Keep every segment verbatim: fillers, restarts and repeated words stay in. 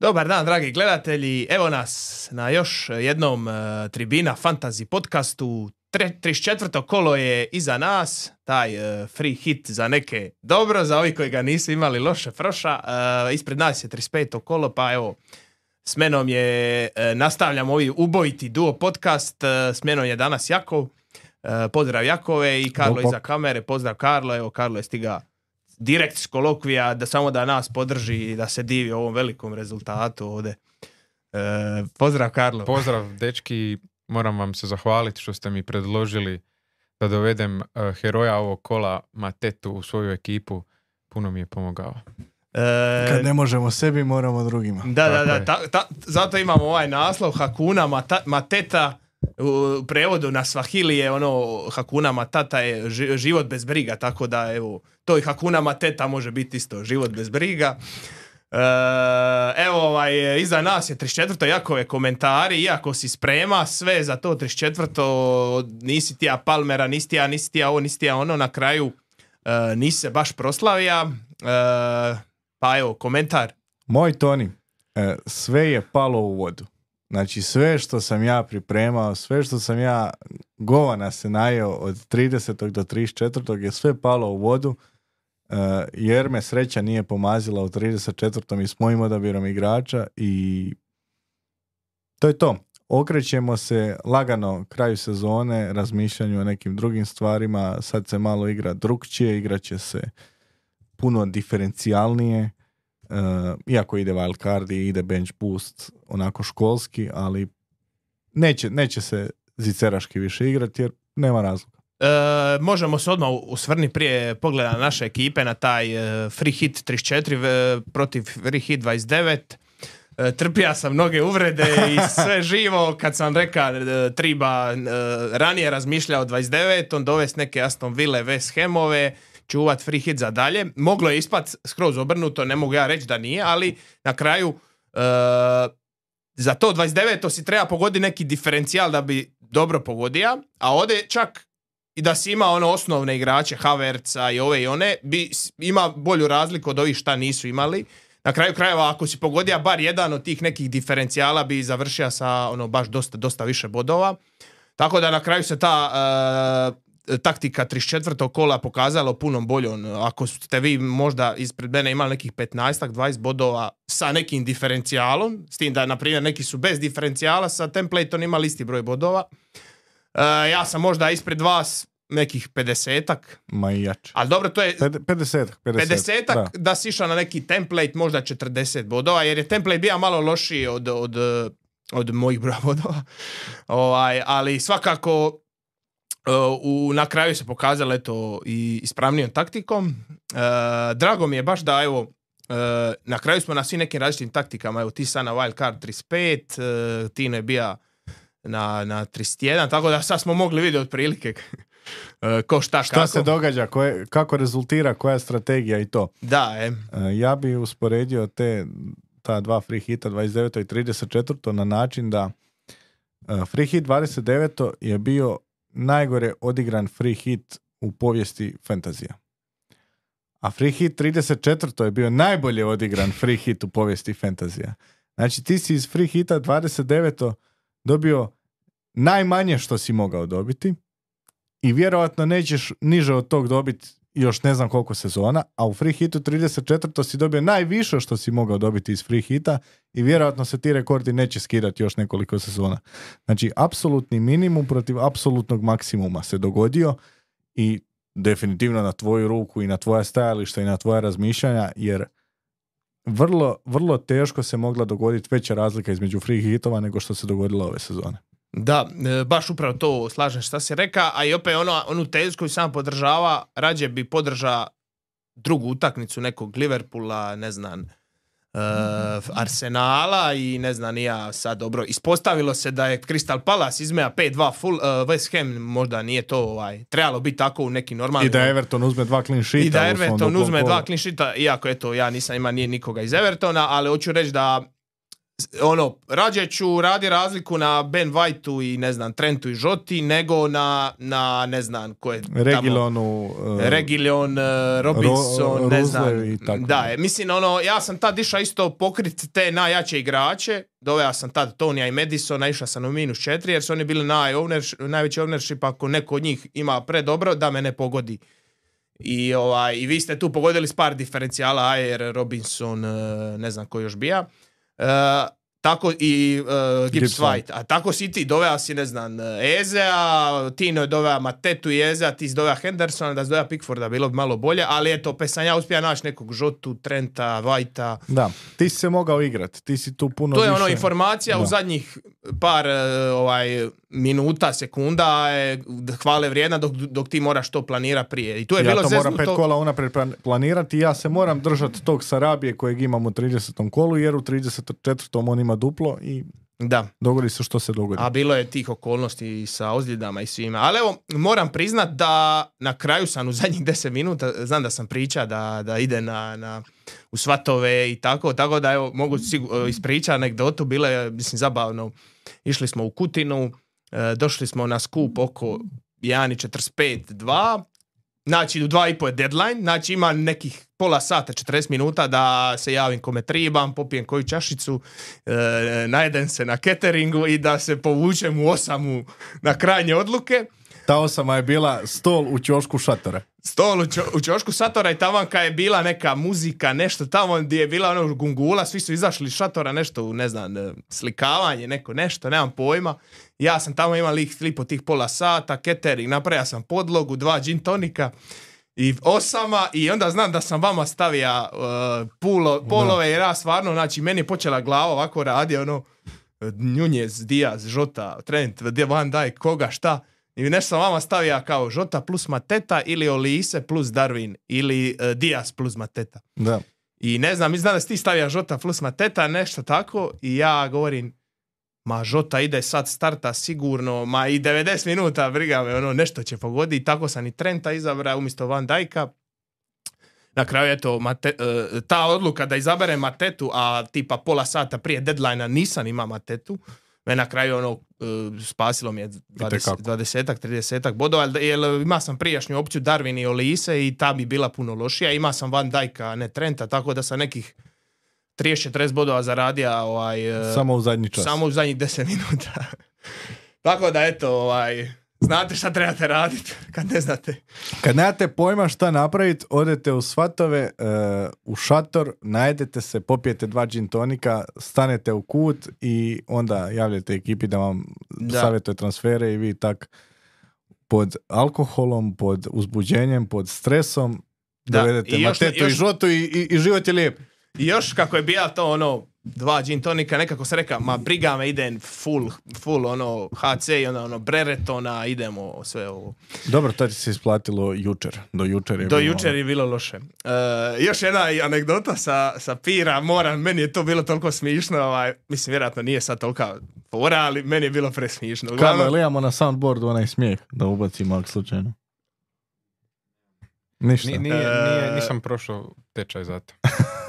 Dobar dan, dragi gledatelji. Evo nas na još jednom uh, Tribina Fantasy podcastu. trideset četvrto kolo je iza nas. Taj uh, free hit za neke dobro, za ovi koji ga nisu imali loše froša. Uh, ispred nas je trideset peto kolo, pa evo, s menom je, uh, nastavljamo ovi ubojiti duo podcast. Uh, s menom je danas Jakov. Uh, pozdrav Jakove i Karlo iza kamere. Pozdrav Karlo. Evo, Karlo je stigao direkt s kolokvija, da samo da nas podrži i da se divi ovom velikom rezultatu ovdje. E, pozdrav Karlo. Pozdrav dečki, moram vam se zahvaliti što ste mi predložili da dovedem uh, heroja ovog kola Matetu u svoju ekipu. Puno mi je pomogao. E, Kad ne možemo sebi, moramo drugima. Da, da, da, ta, ta, zato imamo ovaj naslov Hakuna Mata, Mateta. U prevodu na Swahili je ono Hakuna Matata je život bez briga, tako da evo, to i Hakuna Mateta može biti isto, život bez briga. E, evo, ovaj, iza nas je trideset četvrto Jakove komentari, iako si sprema sve za to trideset četvrto, nisi ti ja Palmera, nisi ti ja, nisi ti ja ovo, nisi ti ja ono, na kraju e, nisi se baš proslavija. E, pa evo, komentar. Moj Toni, e, sve je palo u vodu. Znači sve što sam ja pripremao, sve što sam ja govana se najeo od tridesetog do trideset četvrtog je sve palo u vodu, uh, jer me sreća nije pomazila u trideset četvrtom i s mojim odabirom igrača i to je to. Okrećemo se lagano kraju sezone, razmišljanju o nekim drugim stvarima, sad se malo igra drugčije, igraće se puno diferencijalnije. Uh, iako ide wild card i ide bench boost onako školski, ali neće, neće se ziceraški više igrati jer nema razloga. E, možemo se odmah usvrni prije pogleda na naše ekipe na taj uh, free hit trideset četiri uh, protiv free hit dvadeset devet. Uh, trpija sam mnoge uvrede i sve živo kad sam rekao uh, triba uh, ranije razmišljao dvadeset devet, on dovesti neke Aston Ville, West Hamove, čuvat free hit za dalje. Moglo je ispat skroz obrnuto, ne mogu ja reći da nije, ali na kraju uh, za to dvadeset devet si treba pogoditi neki diferencijal da bi dobro pogodio, a ovdje čak i da si ima ono osnovne igrače Havertza i ove i one, bi ima bolju razliku od ovih šta nisu imali. Na kraju krajeva, ako si pogodio bar jedan od tih nekih diferencijala, bi završio sa ono baš dosta, dosta više bodova. Tako da na kraju se ta uh, taktika trideset četvrtog kola pokazalo puno boljom. Ako ste vi možda ispred mene imali nekih petnaest dvadeset bodova sa nekim diferencijalom, s tim da, na primjer, neki su bez diferencijala, sa templateom imali isti broj bodova. Uh, ja sam možda ispred vas nekih pedesetak. Ma i jače. Ali dobro, to je pedesetak. pedesetak da. da si išao na neki template, možda četrdeset bodova, jer je template bio malo lošiji od, od, od mojih broja bodova. Ovaj, ali svakako Uh, u, na kraju se pokazalo eto i ispravnijom taktikom. Uh, drago mi je baš da evo uh, na kraju smo na svim nekim različitim taktikama. Evo ti sad na wild card trideset pet, uh, Tino je bio na, na trideset jedan, tako da sad smo mogli vidjeti otprilike uh, ko šta, šta kako. se događa, koje, kako rezultira, koja je strategija i to. Da, e. Uh, ja bi usporedio te ta dva free hita dvadeset devet i trideset četiri na način da uh, free hit dvadeset devet je bio najgore odigran free hit u povijesti fantazija. A free hit trideset četiri je bio najbolje odigran free hit u povijesti fantazija. Znači ti si iz free hita dvadeset devet dobio najmanje što si mogao dobiti i vjerojatno nećeš niže od tog dobiti još ne znam koliko sezona, a u free hitu trideset četiri si dobio najviše što si mogao dobiti iz free hita i vjerojatno se ti rekordi neće skidati još nekoliko sezona. Znači, apsolutni minimum protiv apsolutnog maksimuma se dogodio i definitivno na tvoju ruku i na tvoja stajališta i na tvoja razmišljanja, jer vrlo, vrlo teško se mogla dogoditi veća razlika između free hitova nego što se dogodilo ove sezone. Da, baš upravo to slažem šta si reka, a i opet ono, onu tezu koju sam podržava, rađe bi podržao drugu utakmicu nekog Liverpoola, ne znam, uh, Arsenala i ne znam ni ja sad dobro. Ispostavilo se da je Crystal Palace izmeja pet dva full, uh, West Ham možda nije to ovaj, trebalo biti tako u nekim normalnim... I da Everton uzme dva clean sheeta. I da Everton uzme dva clean sheeta, iako eto ja nisam ima nije nikoga iz Evertona, ali hoću reći da ono, rađe ću radi razliku na Ben Whiteu i ne znam, Trentu i Žoti, nego na, na ne znam, ko je tamo... Regilonu, uh, Regilion, uh, Robinson, Ro- ne znam. Ruzle i tako. Da, je, mislim, ono, ja sam tad išao isto pokrit te najjače igrače, doveo sam tad Tonija i Madisona, išao sam u minus četiri, jer su oni bili naj ownership, najveći ownership, ako neko od njih ima predobro, da me ne pogodi. I, ovaj, i vi ste tu pogodili s par diferencijala, Ayer, Robinson, uh, ne znam ko još bija. Uh, tako i uh, Gibbs White. A tako si ti doveo si, ne znam, Ezea, Tino je doveo Matetu i Ezea, ti si doveo Hendersona, da si doveo Pickforda, bilo bi malo bolje, ali eto, opet sam ja uspio naći nekog Žotu, Trenta, Whitea. Da, ti si se mogao igrati, ti si tu puno To je više... ono informacija da. u zadnjih par uh, ovaj, minuta, sekunda je hvale vrijedna dok, dok ti moraš to planirati prije. I tu je ja bilo to moram zeznuto... pet kola unaprijed planirati i ja se moram držati tog Sarabije kojeg imam u tridesetom kolu, jer u trideset četvrtom on ima duplo i Da. dogodi se što se dogodi. A bilo je tih okolnosti sa ozljedama i svima. Ali evo, moram priznat da na kraju sam u zadnjih deset minuta, znam da sam priča da, da ide na, na, u svatove i tako, tako da evo, mogu sigur, ispričati anegdotu, bilo je, mislim, zabavno. Išli smo u Kutinu, e, došli smo na skup oko jedan četrdeset pet dva, znači u dva i po je deadline, znači ima nekih pola sata, četrdeset minuta da se javim kome tribam, popijem koju čašicu, e, najedem se na cateringu i da se povučem u osamu na krajnje odluke. Ta osama je bila stol u ćošku šatora. Stol u, čo, u ćošku šatora i tamo kad je bila neka muzika, nešto tamo gdje je bila ono gungula, svi su izašli iz šatora, nešto, ne znam, slikavanje, neko nešto, nemam pojma. Ja sam tamo imao lik, lipo tih pola sata, catering, napravio sam podlogu, dva gin tonika i osama i onda znam da sam vama stavio uh, pulo, polove jer ja stvarno, znači meni je počela glava ovako radi, ono, Nunez, Diaz, Žota, Trent, Van Dijk, koga, šta. I nešto sam vama stavio kao Žota plus Mateta ili Olise plus Darwin ili uh, Diaz plus Mateta. Da. I ne znam, mislim da si ti stavio Žota plus Mateta, nešto tako i ja govorim, ma Žota ide sad starta sigurno, ma i devedeset minuta, briga me, ono, nešto će pogoditi. Tako sam i Trenta izabrao umjesto Van Dijka. Na kraju, eto, Mate, uh, ta odluka da izaberem Matetu, a tipa pola sata prije deadline-a nisam ima Matetu, me na kraju ono, uh, spasilo mi je dvadeset trideset bodova, jer ima sam prijašnju opciju Darwin i Olise i ta bi bila puno lošija. Ima sam Van Dijka, a ne Trenta, tako da sam nekih trideset četrdeset bodova zaradio ovaj, samo u zadnji čas. Samo u zadnjih deset minuta. Tako da, eto, ovaj, znate šta trebate raditi kad ne znate. Kad nemate pojma šta napraviti, odete u svatove, uh, u šator, najedete se, popijete dva gin tonika, stanete u kut i onda javljate ekipi da vam da. savjetuje transfere i vi tak pod alkoholom, pod uzbuđenjem, pod stresom da. dovedete I Matetu još, i Žotu i, i, i život je lijep. I još kako je bija to ono, dva gin tonika, nekako se reka, ma briga me, idem full, full ono H C i ono, ono Breretona, idemo sve ovo. Dobro, to ti se isplatilo jučer. Do jučer je Do bilo, jučer je bilo loše. Uh, još jedna anegdota sa, sa pira, moram, meni je to bilo toliko smišno, ovaj, mislim, vjerojatno nije sad tolika fora, ali meni je bilo presmišno. Karlo, ili imamo na soundboardu onaj smijeh da ubacimo ako slučajno? Ništa. Nije, nije, nije, nisam prošao tečaj za to.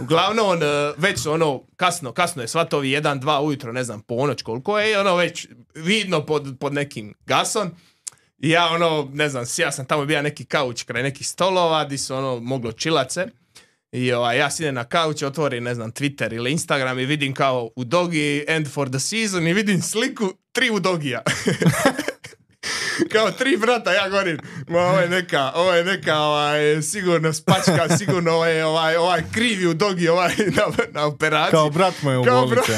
Uglavnom, već su ono, kasno, kasno je svatovi, jedan, dva ujutro, ne znam, ponoć koliko je, ono već vidno pod, pod nekim gasom. I ja ono, ne znam, ja sam tamo bio neki kauč kraj nekih stolova, di su ono, moglo čilace. I ovaj, ja sidem na kauč, otvorim, ne znam, Twitter ili Instagram i vidim kao u Dogi end for the season i vidim sliku tri u Dogija. Kao tri brata, ja govorim, ma ovo je neka, ovo je neka, ovaj, sigurno spačka, sigurno ovaj, ovaj, ovaj krivi u Dogi, ovaj, na, na operaciji. Kao brat mu je u bolnici.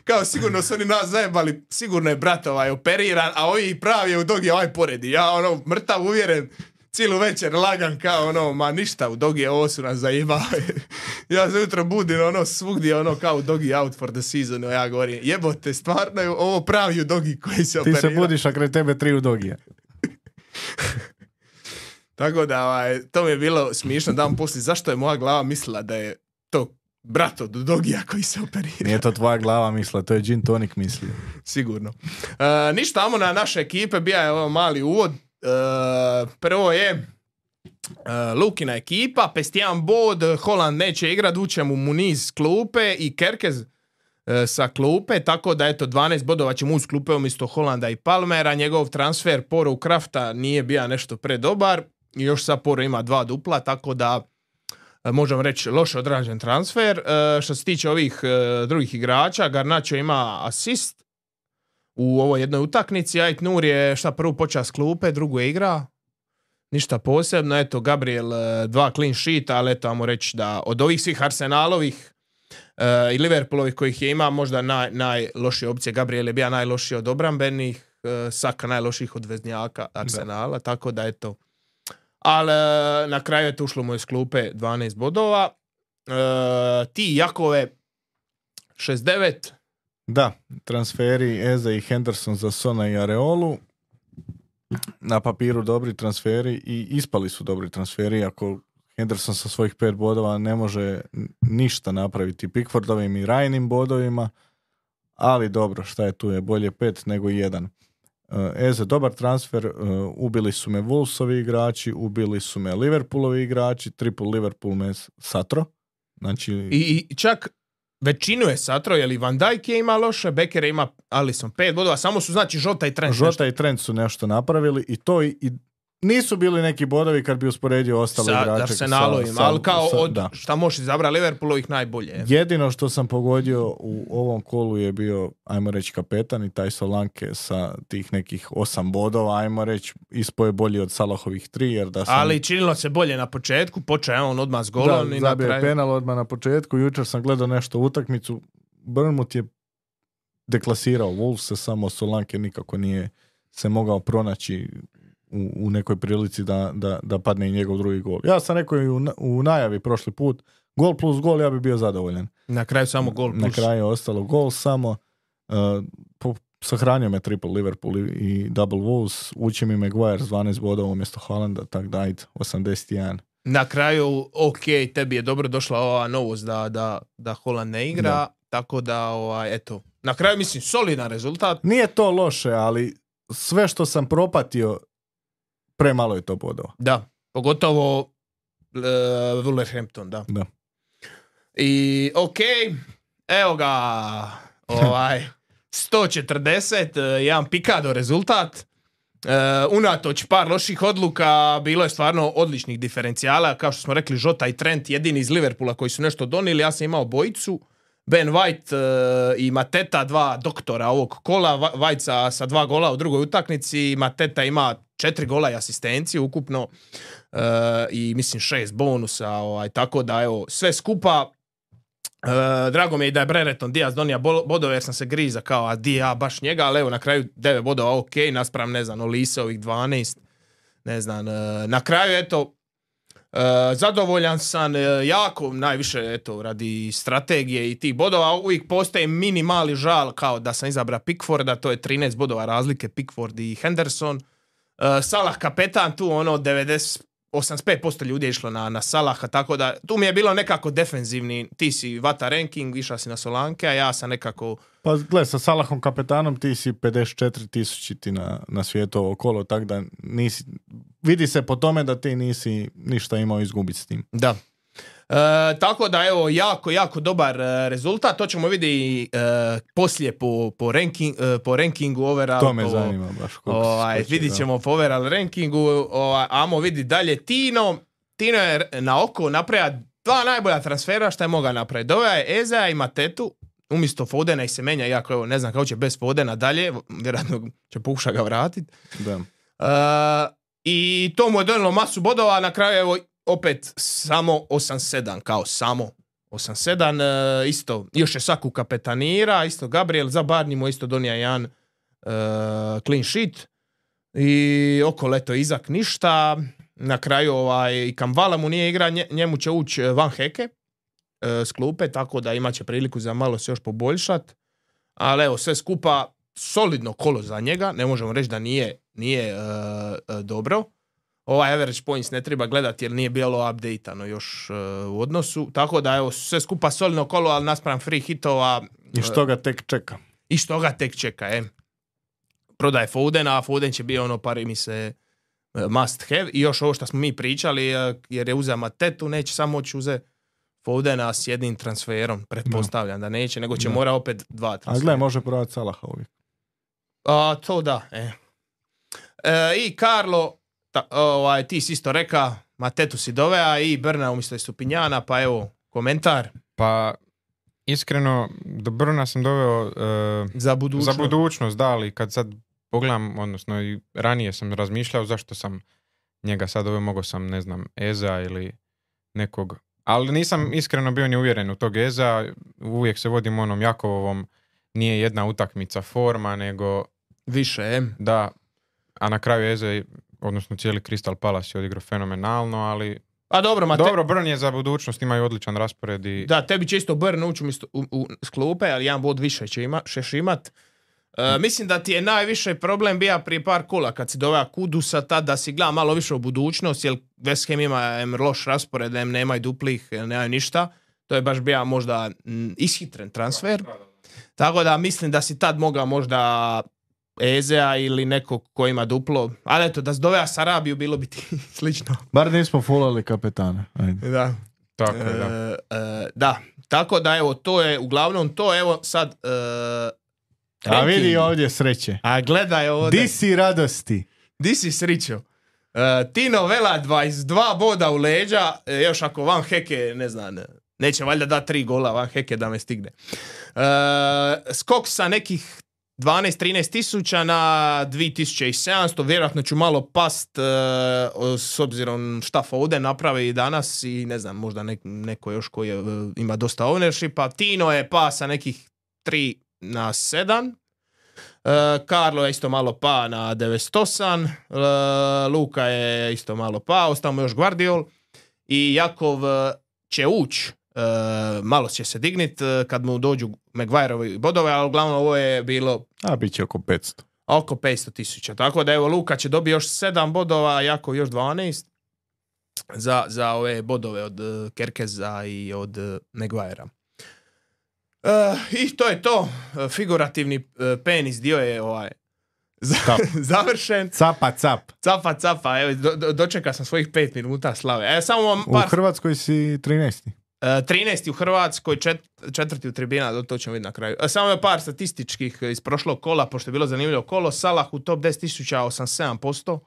Kao sigurno su oni nas zajebali, sigurno je brat ovaj operiran, a ovi pravi je u Dogi ovaj poredi. Ja ono, mrtav uvjeren, cijelu večer lagan kao ono, ma ništa, u Dogi ovo su nas zajebali. Ja se jutro budim, ono, svugdje, ono, kao Dogi out for the season, ja govorim, jebote, stvarno je ovo pravi u Dogi koji se operira. Ti se budiš, a kraj tebe tri u Dogija. Tako da, ovaj, to mi je bilo smišno dan poslije, zašto je moja glava mislila da je to brat od Dogija koji se operira. Nije to tvoja glava mislila, to je gin tonik mislio. Sigurno. E, ništa, amo na naše ekipe, bija je ovo mali uvod. Uh, prvo je uh, Lukina ekipa, pestijan bod, Holland neće igrat, uće mu Muniz klupe i Kerkez, e, sa klupe, tako da eto dvanaest bodova će mu uz klupe umjesto Holanda i Palmera, njegov transfer Poro u Krafta nije bio nešto predobar, i još sad Poro ima dva dupla, tako da e, možemo reći loše odrađen transfer. E, što se tiče ovih e, drugih igrača, Garnacho ima asist u ovoj jednoj utakmici, Ait Nur je šta prvu počeo s klupe, drugu je igra, ništa posebno, eto Gabriel dva clean sheeta, ali eto ajmo reći da od ovih svih Arsenalovih uh, i Liverpoolovih kojih je ima, možda naj, najlošije opcije. Gabriel je bio najlošiji od obrambenih, uh, Saka najlošijih od veznjaka Arsenala, da. Tako da eto. Ali uh, na kraju je to ušlo mu iz klupe dvanaest bodova. Uh, ti Jakove šezdeset devet. Da, transferi Eze i Henderson za Sona i Areolu. Na papiru dobri transferi i ispali su dobri transferi, ako Henderson sa svojih pet bodova ne može ništa napraviti Pickfordovim i Ryanim bodovima, ali dobro, šta je tu, je bolje pet nego jedan. Eze, dobar transfer, ubili su me Wolvesovi igrači, ubili su me Liverpoolovi igrači, triple Liverpool me satro. Znači... I, i čak većinu je satro, jer i Van Dijk je ima loše, Becker je ima Alisson pet bodova, samo su znači Žota i Trent. Žota nešto. i Trent su nešto napravili i to i, i nisu bili neki bodovi kad bi usporedio ostale sa, igrače. Arsenalovim, sa, ali kao sa, od da. šta možeš izabrati Liverpoolovih najbolje. Jedino što sam pogodio u ovom kolu je bio, ajmo reći, kapetan i taj Solanke sa tih nekih osam bodova, ajmo reći, ispo je bolji od Salahovih tri, jer da sam... Ali činilo se bolje na početku, počeo je on odmah s golom da, i na zabio kraju... penal odmah na početku, jučer sam gledao nešto utakmicu, Bournemouth je deklasirao Wolves, samo Solanke nikako nije se mogao pronaći u, u nekoj prilici da, da, da padne i njegov drugi gol. Ja sam rekao i u, u najavi prošli put, gol plus gol, ja bi bio zadovoljan. Na kraju samo gol plus. Na kraju je ostalo gol samo. Uh, po, sahranio me triple Liverpool i, i double Wolves, uči mi Maguire s dvanaest bodova umjesto Haalanda, tak da ajde, osamdeset jedan. Na kraju, ok, tebi je dobro došla ova novost da, da, da Haaland ne igra, da. Tako da, ovaj, eto, na kraju mislim solidan rezultat. Nije to loše, ali sve što sam propatio, premalo je to bodova. Da, pogotovo uh, Wolverhampton, da. Da. I ok, evo ga, ovaj, sto četrdeset, jedan pikado rezultat. Uh, unatoč par loših odluka, bilo je stvarno odličnih diferencijala, kao što smo rekli, Žota i Trent jedini iz Liverpoola koji su nešto donijeli. Ja sam imao bojicu, Ben White uh, i Mateta, dva doktora ovog kola, White sa, sa dva gola u drugoj utakmici, Mateta ima četiri gola i asistenciju ukupno uh, i mislim šest bonusa, ovaj, tako da evo, sve skupa. Uh, drago mi je da je Brereton Diaz donija bodove jer sam se griza kao a di ja baš njega, ali evo na kraju devet bodova ok, naspram ne znam Olise ovih dvanaest, ne znam, uh, na kraju eto uh, zadovoljan sam uh, jako najviše eto radi strategije i tih bodova, uvijek postoji mini mali žal kao da sam izabrao Pickforda, to je trinaest bodova razlike Pickford i Henderson. uh, Salah kapetan tu ono devedeset osamdeset pet posto ljudi je išlo na, na Salaha, tako da tu mi je bilo nekako defenzivni, ti si vata ranking, išao si na Solanke, a ja sam nekako... Pa gled, sa Salahom kapetanom ti si pedeset četiri tisuće na, na svijetu ovo kolo, tako da nisi, vidi se po tome da ti nisi ništa imao izgubiti s tim. Da. E, tako da evo, jako, jako dobar rezultat, to ćemo vidjeti e, poslije po, po, ranking, e, po rankingu overall. To me po, zanima baš. Ovaj, vidit ćemo po overall rankingu, ovaj, amo vidi dalje Tino. Tino je na oko napravio dva najbolja transfera što je mogao napraviti. Doveo je Eza i Matetu, umjesto Fodena i Semenja, iako evo, ne znam kako će bez Fodena dalje, vjerojatno će pokušati ga vratiti. Da. E, I to mu je donijelo masu bodova, na kraju evo opet samo osam sedam, kao samo osam sedam, uh, isto, još je Saku kapetanira, isto Gabriel, za Barney mu isto donija jedan uh, clean sheet i oko leto Izak ništa, na kraju ovaj, i Kamvala mu nije igra, nje, njemu će ući Van Heke uh, s klupe, tako da imat će priliku za malo se još poboljšat, ali evo sve skupa solidno kolo za njega, ne možemo reći da nije, nije uh, uh, dobro. Ovaj average points ne treba gledati jer nije bilo updateano još uh, u odnosu. Tako da evo sve skupa solidno kolo, ali naspram free hitova. I što ga tek čeka. I što ga tek čeka, e. Prodaje Fodena, a Foden će biti ono pari mi se uh, must have. I još ovo što smo mi pričali, uh, jer je uzeo Matetu, neće samo moći uzeti Fodena s jednim transferom, pretpostavljam da neće, nego će Da. mora opet dva A transfera. gle, može prodati Salaha uvijek. A, to da, e. E, I Karlo, ta, ovaj, ti si isto reka, Matetu si dovea i Brna umjesto Stupinjana, pa evo, komentar Pa, iskreno, do Brna sam doveo e, za budućnost. za budućnost, da, ali kad sad pogledam, odnosno i ranije sam razmišljao zašto sam njega sad doveo, mogao sam, ne znam, Eza ili nekog, ali nisam iskreno bio ni uvjeren u tog Eza, uvijek se vodim onom Jakovovom, nije jedna utakmica forma, nego Više, e. da, a na kraju Eze, odnosno cijeli Crystal Palace je odigrao fenomenalno, ali A dobro, Mate... dobro, Brn je za budućnost, imaju odličan raspored i Da, tebi će isto Brn ući umjesto- u, u, s klupe, ali jedan bod više će ima, šeš imat. E, mislim da ti je najviše problem bija prije par kola kad si doveo Kudusa, tad da si gleda malo više u budućnost, jer West Ham ima em, loš raspored, em, nemaju duplih, nemaju ništa. To je baš bija možda m, ishitren transfer. Tako da mislim da si tad mogao možda Ezea ili nekog ko ima duplo. Ali eto, da si doveo Sarabiju bilo bi ti slično. Bar nismo fulali kapetane. Ajde. Da. tako je, da. E, e, da, tako da evo, to je uglavnom to, evo sad e, A ranking. vidi ovdje sreće. A gledaj ovdje. Di si radosti? Di si srićo? E, Tino Vela dvadeset dva boda u leđa, e, još ako Van Heke, ne znam, neće valjda da tri gola Van Heke da me stigne. E, skok sa nekih dvanaest trinaest tisuća na dvije tisuće sedamsto, vjerojatno ću malo past e, s obzirom šta Foden napravi i danas i ne znam, možda nek, neko još koji je, e, ima dosta ownershipa. Tino je pa sa nekih tri na sedam. Uh, Karlo je isto malo pa na devedeset osam, uh, Luka je isto malo pa, ostamo još Guardiol i Jakov uh, će ući, uh, malo će se dignit uh, kad mu dođu Maguireovi bodove, ali uglavnom ovo je bilo A bit će oko petsto. oko petsto tisuća, tako da evo Luka će dobiti još sedam bodova, Jakov još dvanaest za, za ove bodove od uh, Kerkeza i od uh, Maguirea. Uh, I to je to. Uh, figurativni uh, penis dio je ovaj za- Cap. završen. Capa cap. Capa, capa. Evo, do, do, dočekao sam svojih pet minuta slave. E, samo vam U par... Hrvatskoj si trinaesti. Uh, trinaesti u Hrvatskoj, čet, četvrti u tribina, to ćemo vidjeti na kraju. Uh, samo je par statističkih iz prošlog kola, pošto je bilo zanimljivo kolo. Salah u top deset tisuća osamdeset sedam posto.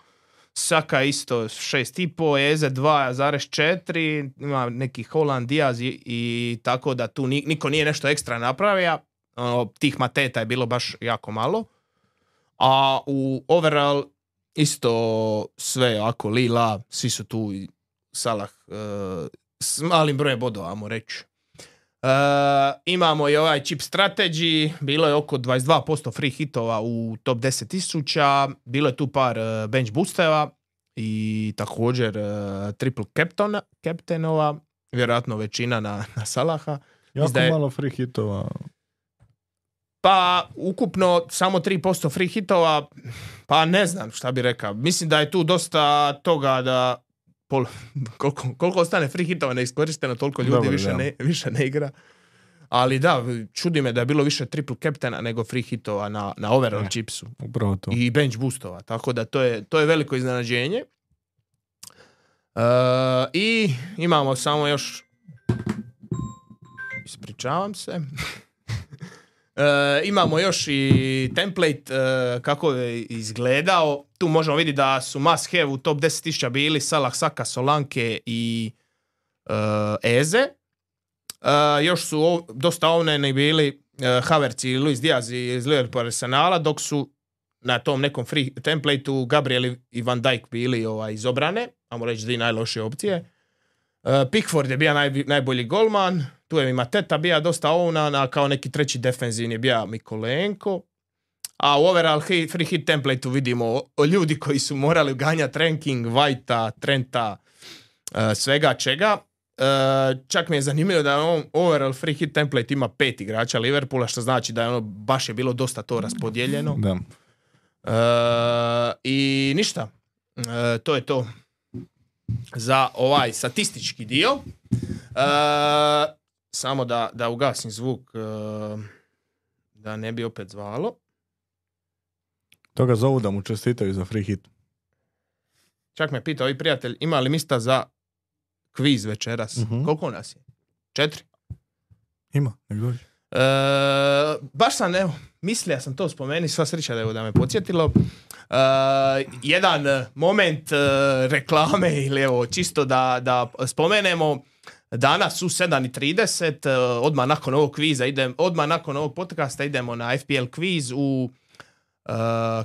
Saka isto šest i pol, Eze dva zarez četiri, ima neki Holland, Diaz i, i tako da tu ni, niko nije nešto ekstra napravio. Ono, tih mateta je bilo baš jako malo. A u overall isto sve ako lila, svi su tu i Salah uh, s malim brojem bodova, ajmo reći. Uh, imamo i ovaj chip strategy, bilo je oko dvadeset dva posto free hitova u top deset tisuća, bilo je tu par uh, bench boosteva i također uh, triple captaina, captainova, vjerojatno većina na, na Salaha. Jako da je- malo free hitova. Pa ukupno samo tri posto free hitova, pa ne znam šta bi rekao. Mislim da je tu dosta toga da pol, koliko, koliko ostane free hitova neiskorišteno, toliko ljudi Dobro, više, da. ne, više ne igra. Ali da, čudi me da je bilo više triple captaina nego free hitova na, na overall Ne. chipsu. Upravo to. I bench boostova, tako da to je, to je veliko iznenađenje. Uh, I imamo samo još, ispričavam se, Uh, imamo još i template uh, kako je izgledao. Tu možemo vidjeti da su must have u top deset tisuća bili Salah, Saka, Solanke i uh, Eze. Uh, još su ov- dosta ovneni bili uh, Havertz i Luis Diaz iz Liverpoola Arsenala, dok su na tom nekom free templateu Gabriel i Van Dijk bili ovaj, iz obrane, ajmo reći dvije najlošije opcije. Uh, Pickford je bio naj, najbolji golman, tu je i Mateta bio dosta ovnan, a kao neki treći defenzivni je bio Mikolenko. A u overall hit, free hit templateu vidimo o, o ljudi koji su morali ganjati ranking, Whitea, Trenta, uh, svega čega. Uh, čak mi je zanimljivo da on overall free hit template ima pet igrača Liverpoola, što znači da je ono baš je bilo dosta to raspodijeljeno. Da. Uh, I ništa. Uh, to je to za ovaj statistički dio. Uh, samo da, da ugasim zvuk uh, da ne bi opet zvalo. Toga zovu da mu čestitaju za free hit. Čak me pitao i prijatelj, ima li mista za kviz večeras? Mhm. Koliko nas je? Četiri. Ima, nek dođe. E, baš sam, evo, mislio sam to spomenuti, sva sreća da, evo, da me podsjetilo. E, jedan moment e, reklame, ili evo, čisto da, da spomenemo, danas u sedam i trideset, e, odmah nakon ovog kviza, idem, odmah nakon ovog podcasta idemo na F P L kviz u Uh,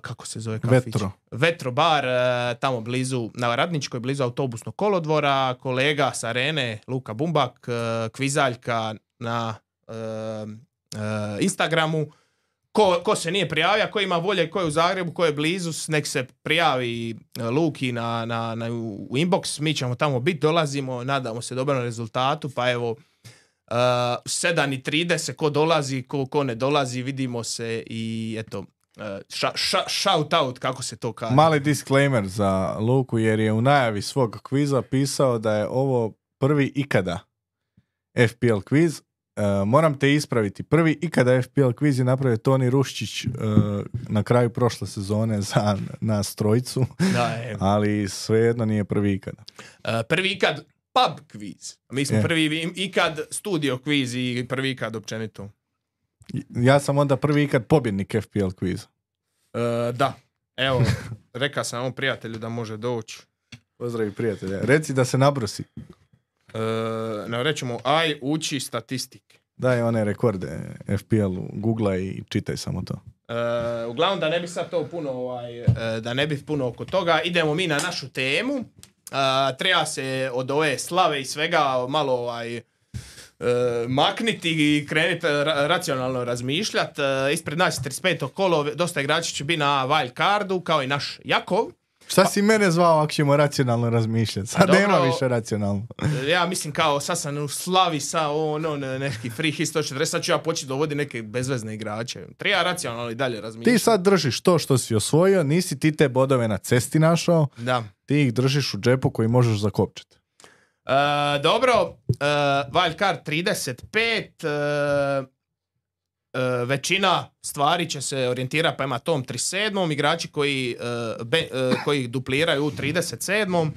kako se zove kafić? Vetro. Vetro bar, uh, tamo blizu, na Radničkoj, blizu autobusnog kolodvora. Kolega s Arene, Luka Bumbak, uh, kvizaljka na uh, uh, Instagramu. Ko, ko se nije prijavio, ko ima volje, ko je u Zagrebu, ko je blizu, nek se prijavi uh, Luki na, na, na, u inbox. Mi ćemo tamo biti, dolazimo, nadamo se dobrom rezultatu, pa evo uh, sedam i trideset, ko dolazi, ko, ko ne dolazi, vidimo se i eto, Uh, ša, ša, shout out, kako se to kaže. Mali disclaimer za Luku, jer je u najavi svog kviza pisao da je ovo prvi ikada F P L kviz. Uh, moram te ispraviti. Prvi ikada F P L kviz je napravio Toni Ruščić uh, na kraju prošle sezone za nas trojicu, Da, je. ali svejedno nije prvi ikada. Uh, prvi ikad pub kviz. Mi smo Je. prvi ikad studio kviz i prvi ikad općenito. Ja sam onda prvi ikad pobjednik F P L kviza. Uh, da, evo, rekao sam ovom prijatelju da može doći. Pozdravi prijatelja. Reci da se nabrosi. Uh, ne, rećemo, aj, uči statistike. Daj one rekorde F P L-u, googla i čitaj samo to. Uh, uglavnom, da ne bi sad to puno, ovaj, uh, da ne bi puno oko toga, idemo mi na našu temu. Uh, treba se od ove slave i svega malo ovaj, uh, makniti i krenuti ra- racionalno razmišljati. Uh, ispred nas je trideset peto kolo, dosta igrača će biti na wild cardu, kao i naš Jakov. Šta si mene zvao ako ćemo racionalno razmišljati? Sad Dobro. nema više racionalno. Ja mislim kao sad sam u slavi sa ono ne, neki free hit sto četrdeset, sad ću ja početi dovoditi neke bezvezne igrače. Treba racionalno i dalje razmišljati. Ti sad držiš to što si osvojio, nisi ti te bodove na cesti našao, Da. ti ih držiš u džepu koji možeš zakopčati. Uh, dobro, uh, wild card trideset pet, uh, uh, većina stvari će se orijentirati prema tom trideset sedmom, igrači koji, uh, be, uh, koji dupliraju u trideset sedmom,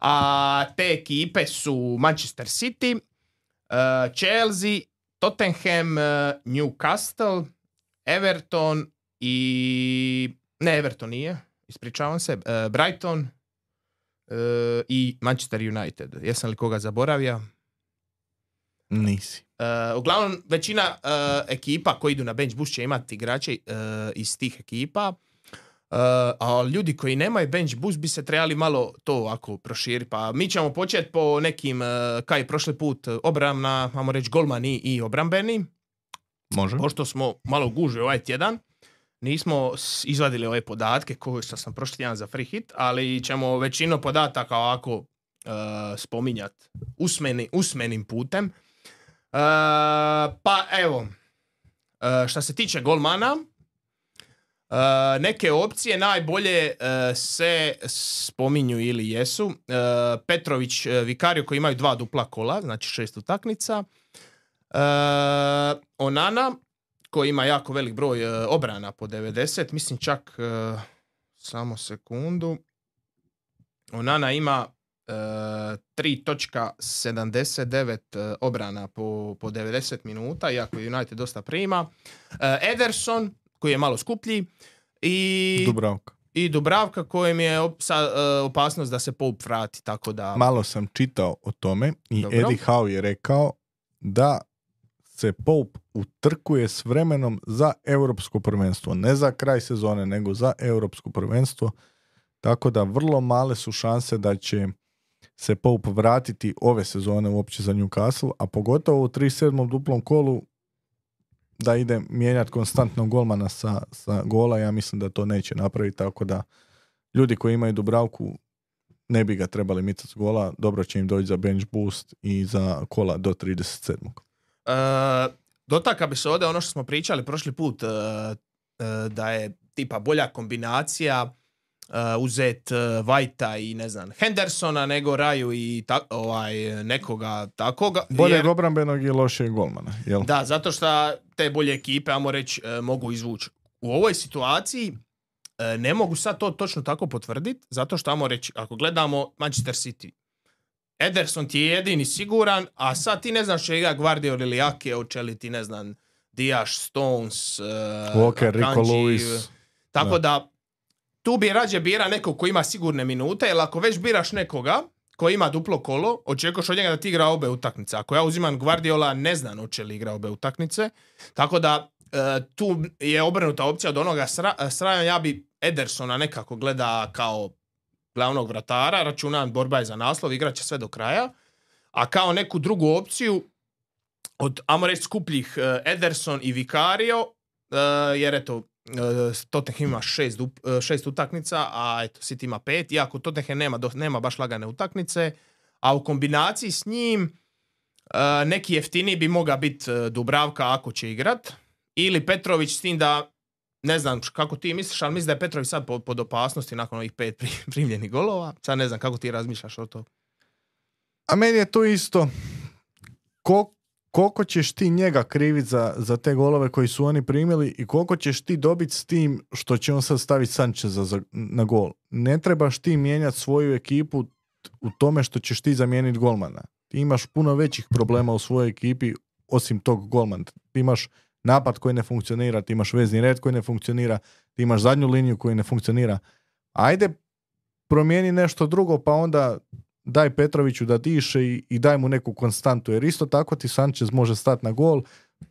a te ekipe su Manchester City, uh, Chelsea, Tottenham, uh, Newcastle, Everton i... ne, Everton nije, ispričavam se, uh, Brighton, Uh, i Manchester United. Jesam li koga zaboravio? Nisi. Uh, uglavnom, većina uh, ekipa koji idu na bench boost će imati igrače uh, iz tih ekipa, uh, a ljudi koji nemaju bench boost bi se trebali malo to ovako proširiti. Pa mi ćemo početi po nekim, uh, kao i prošli put, obramna, ajmo reći golmani i obrambeni. Može. Pošto smo malo gužili ovaj tjedan, nismo izvadili ove podatke koje što sam prošli tjedan za free hit, ali ćemo većinu podataka ovako uh, spominjati usmeni, usmenim putem. Uh, pa evo, uh, što se tiče golmana, uh, neke opcije najbolje uh, se spominju ili jesu. Uh, Petrović, uh, Vikario koji imaju dva dupla kola, znači šest utakmica. Uh, Onana, koji ima jako velik broj uh, obrana po devedeset, mislim čak uh, samo sekundu. Onana ima uh, tri zarez sedamdeset devet uh, obrana po, po devedeset minuta, iako United dosta prima. Uh, Ederson, koji je malo skuplji, i Dubravka. i Dubravka, kojem je op- sa, uh, opasnost da se Pope vrati, tako da... Malo sam čitao o tome i Dobro. Eddie Howe je rekao da se Pope utrkuje s vremenom za europsko prvenstvo. Ne za kraj sezone, nego za europsko prvenstvo. Tako da vrlo male su šanse da će se Pope vratiti ove sezone uopće za Newcastle, a pogotovo u trideset sedmom duplom kolu da ide mijenjati konstantno golmana sa, sa gola. Ja mislim da to neće napraviti, tako da ljudi koji imaju Dubravku ne bi ga trebali micati s gola. Dobro će im doći za bench boost i za kola do trideset sedmog. Uh, dotaka bi se ovdje ono što smo pričali prošli put, uh, uh, da je tipa bolja kombinacija uh, uzet uh, Whitea i ne znam Hendersona nego Raju i ta, ovaj, nekoga takoga. Boljeg jer- obrambenog i lošijeg golmana, jel? Da, zato što te bolje ekipe, ajmo reći, uh, mogu izvući. U ovoj situaciji uh, ne mogu sad to točno tako potvrditi, zato što, ajmo reći, ako gledamo Manchester City, Ederson ti je jedini siguran, a sad ti ne znaš će igra Guardiola ili Ake, hoće li ti ne znam Diaz, Stones, uh, Walker, Rico Akanji, Lewis. tako Da. da tu bi rađe bira nekog ko ima sigurne minute, jer ako već biraš nekoga koji ima duplo kolo, očekuješ od njega da ti igra obe utakmice. Ako ja uzimam Guardiola, ne znam hoće li igra obe utakmice, tako da uh, tu je obrnuta opcija od onoga sra- sraja, ja bi Edersona nekako gleda kao glavnog vratara, računam borba je za naslov, igraće sve do kraja, a kao neku drugu opciju od, ajmo reći, skupljih uh, Ederson i Vicario, uh, jer eto, uh, Tottenham ima šest, uh, šest utakmica, a eto, City ima pet, iako Tottenham nema, do, nema baš lagane utakmice, a u kombinaciji s njim uh, neki jeftiniji bi mogao biti uh, Dubravka ako će igrat, ili Petrović, s tim da ne znam kako ti misliš, ali mislim da je Petrović sad pod, pod opasnosti nakon ovih pet primljenih golova. Sad ne znam kako ti razmišljaš o to. A meni je to isto. Ko, koliko ćeš ti njega kriviti za, za te golove koji su oni primili i koliko ćeš ti dobiti s tim što će on sad staviti Sancheza za, na gol. Ne trebaš ti mijenjati svoju ekipu u tome što ćeš ti zamijeniti golmana. Ti imaš puno većih problema u svojoj ekipi osim tog golmana. Ti imaš napad koji ne funkcionira, ti imaš vezni red koji ne funkcionira, ti imaš zadnju liniju koji ne funkcionira. Ajde, promijeni nešto drugo, pa onda daj Petroviću da diše i, i daj mu neku konstantu, jer isto tako ti Sanchez može stati na gol,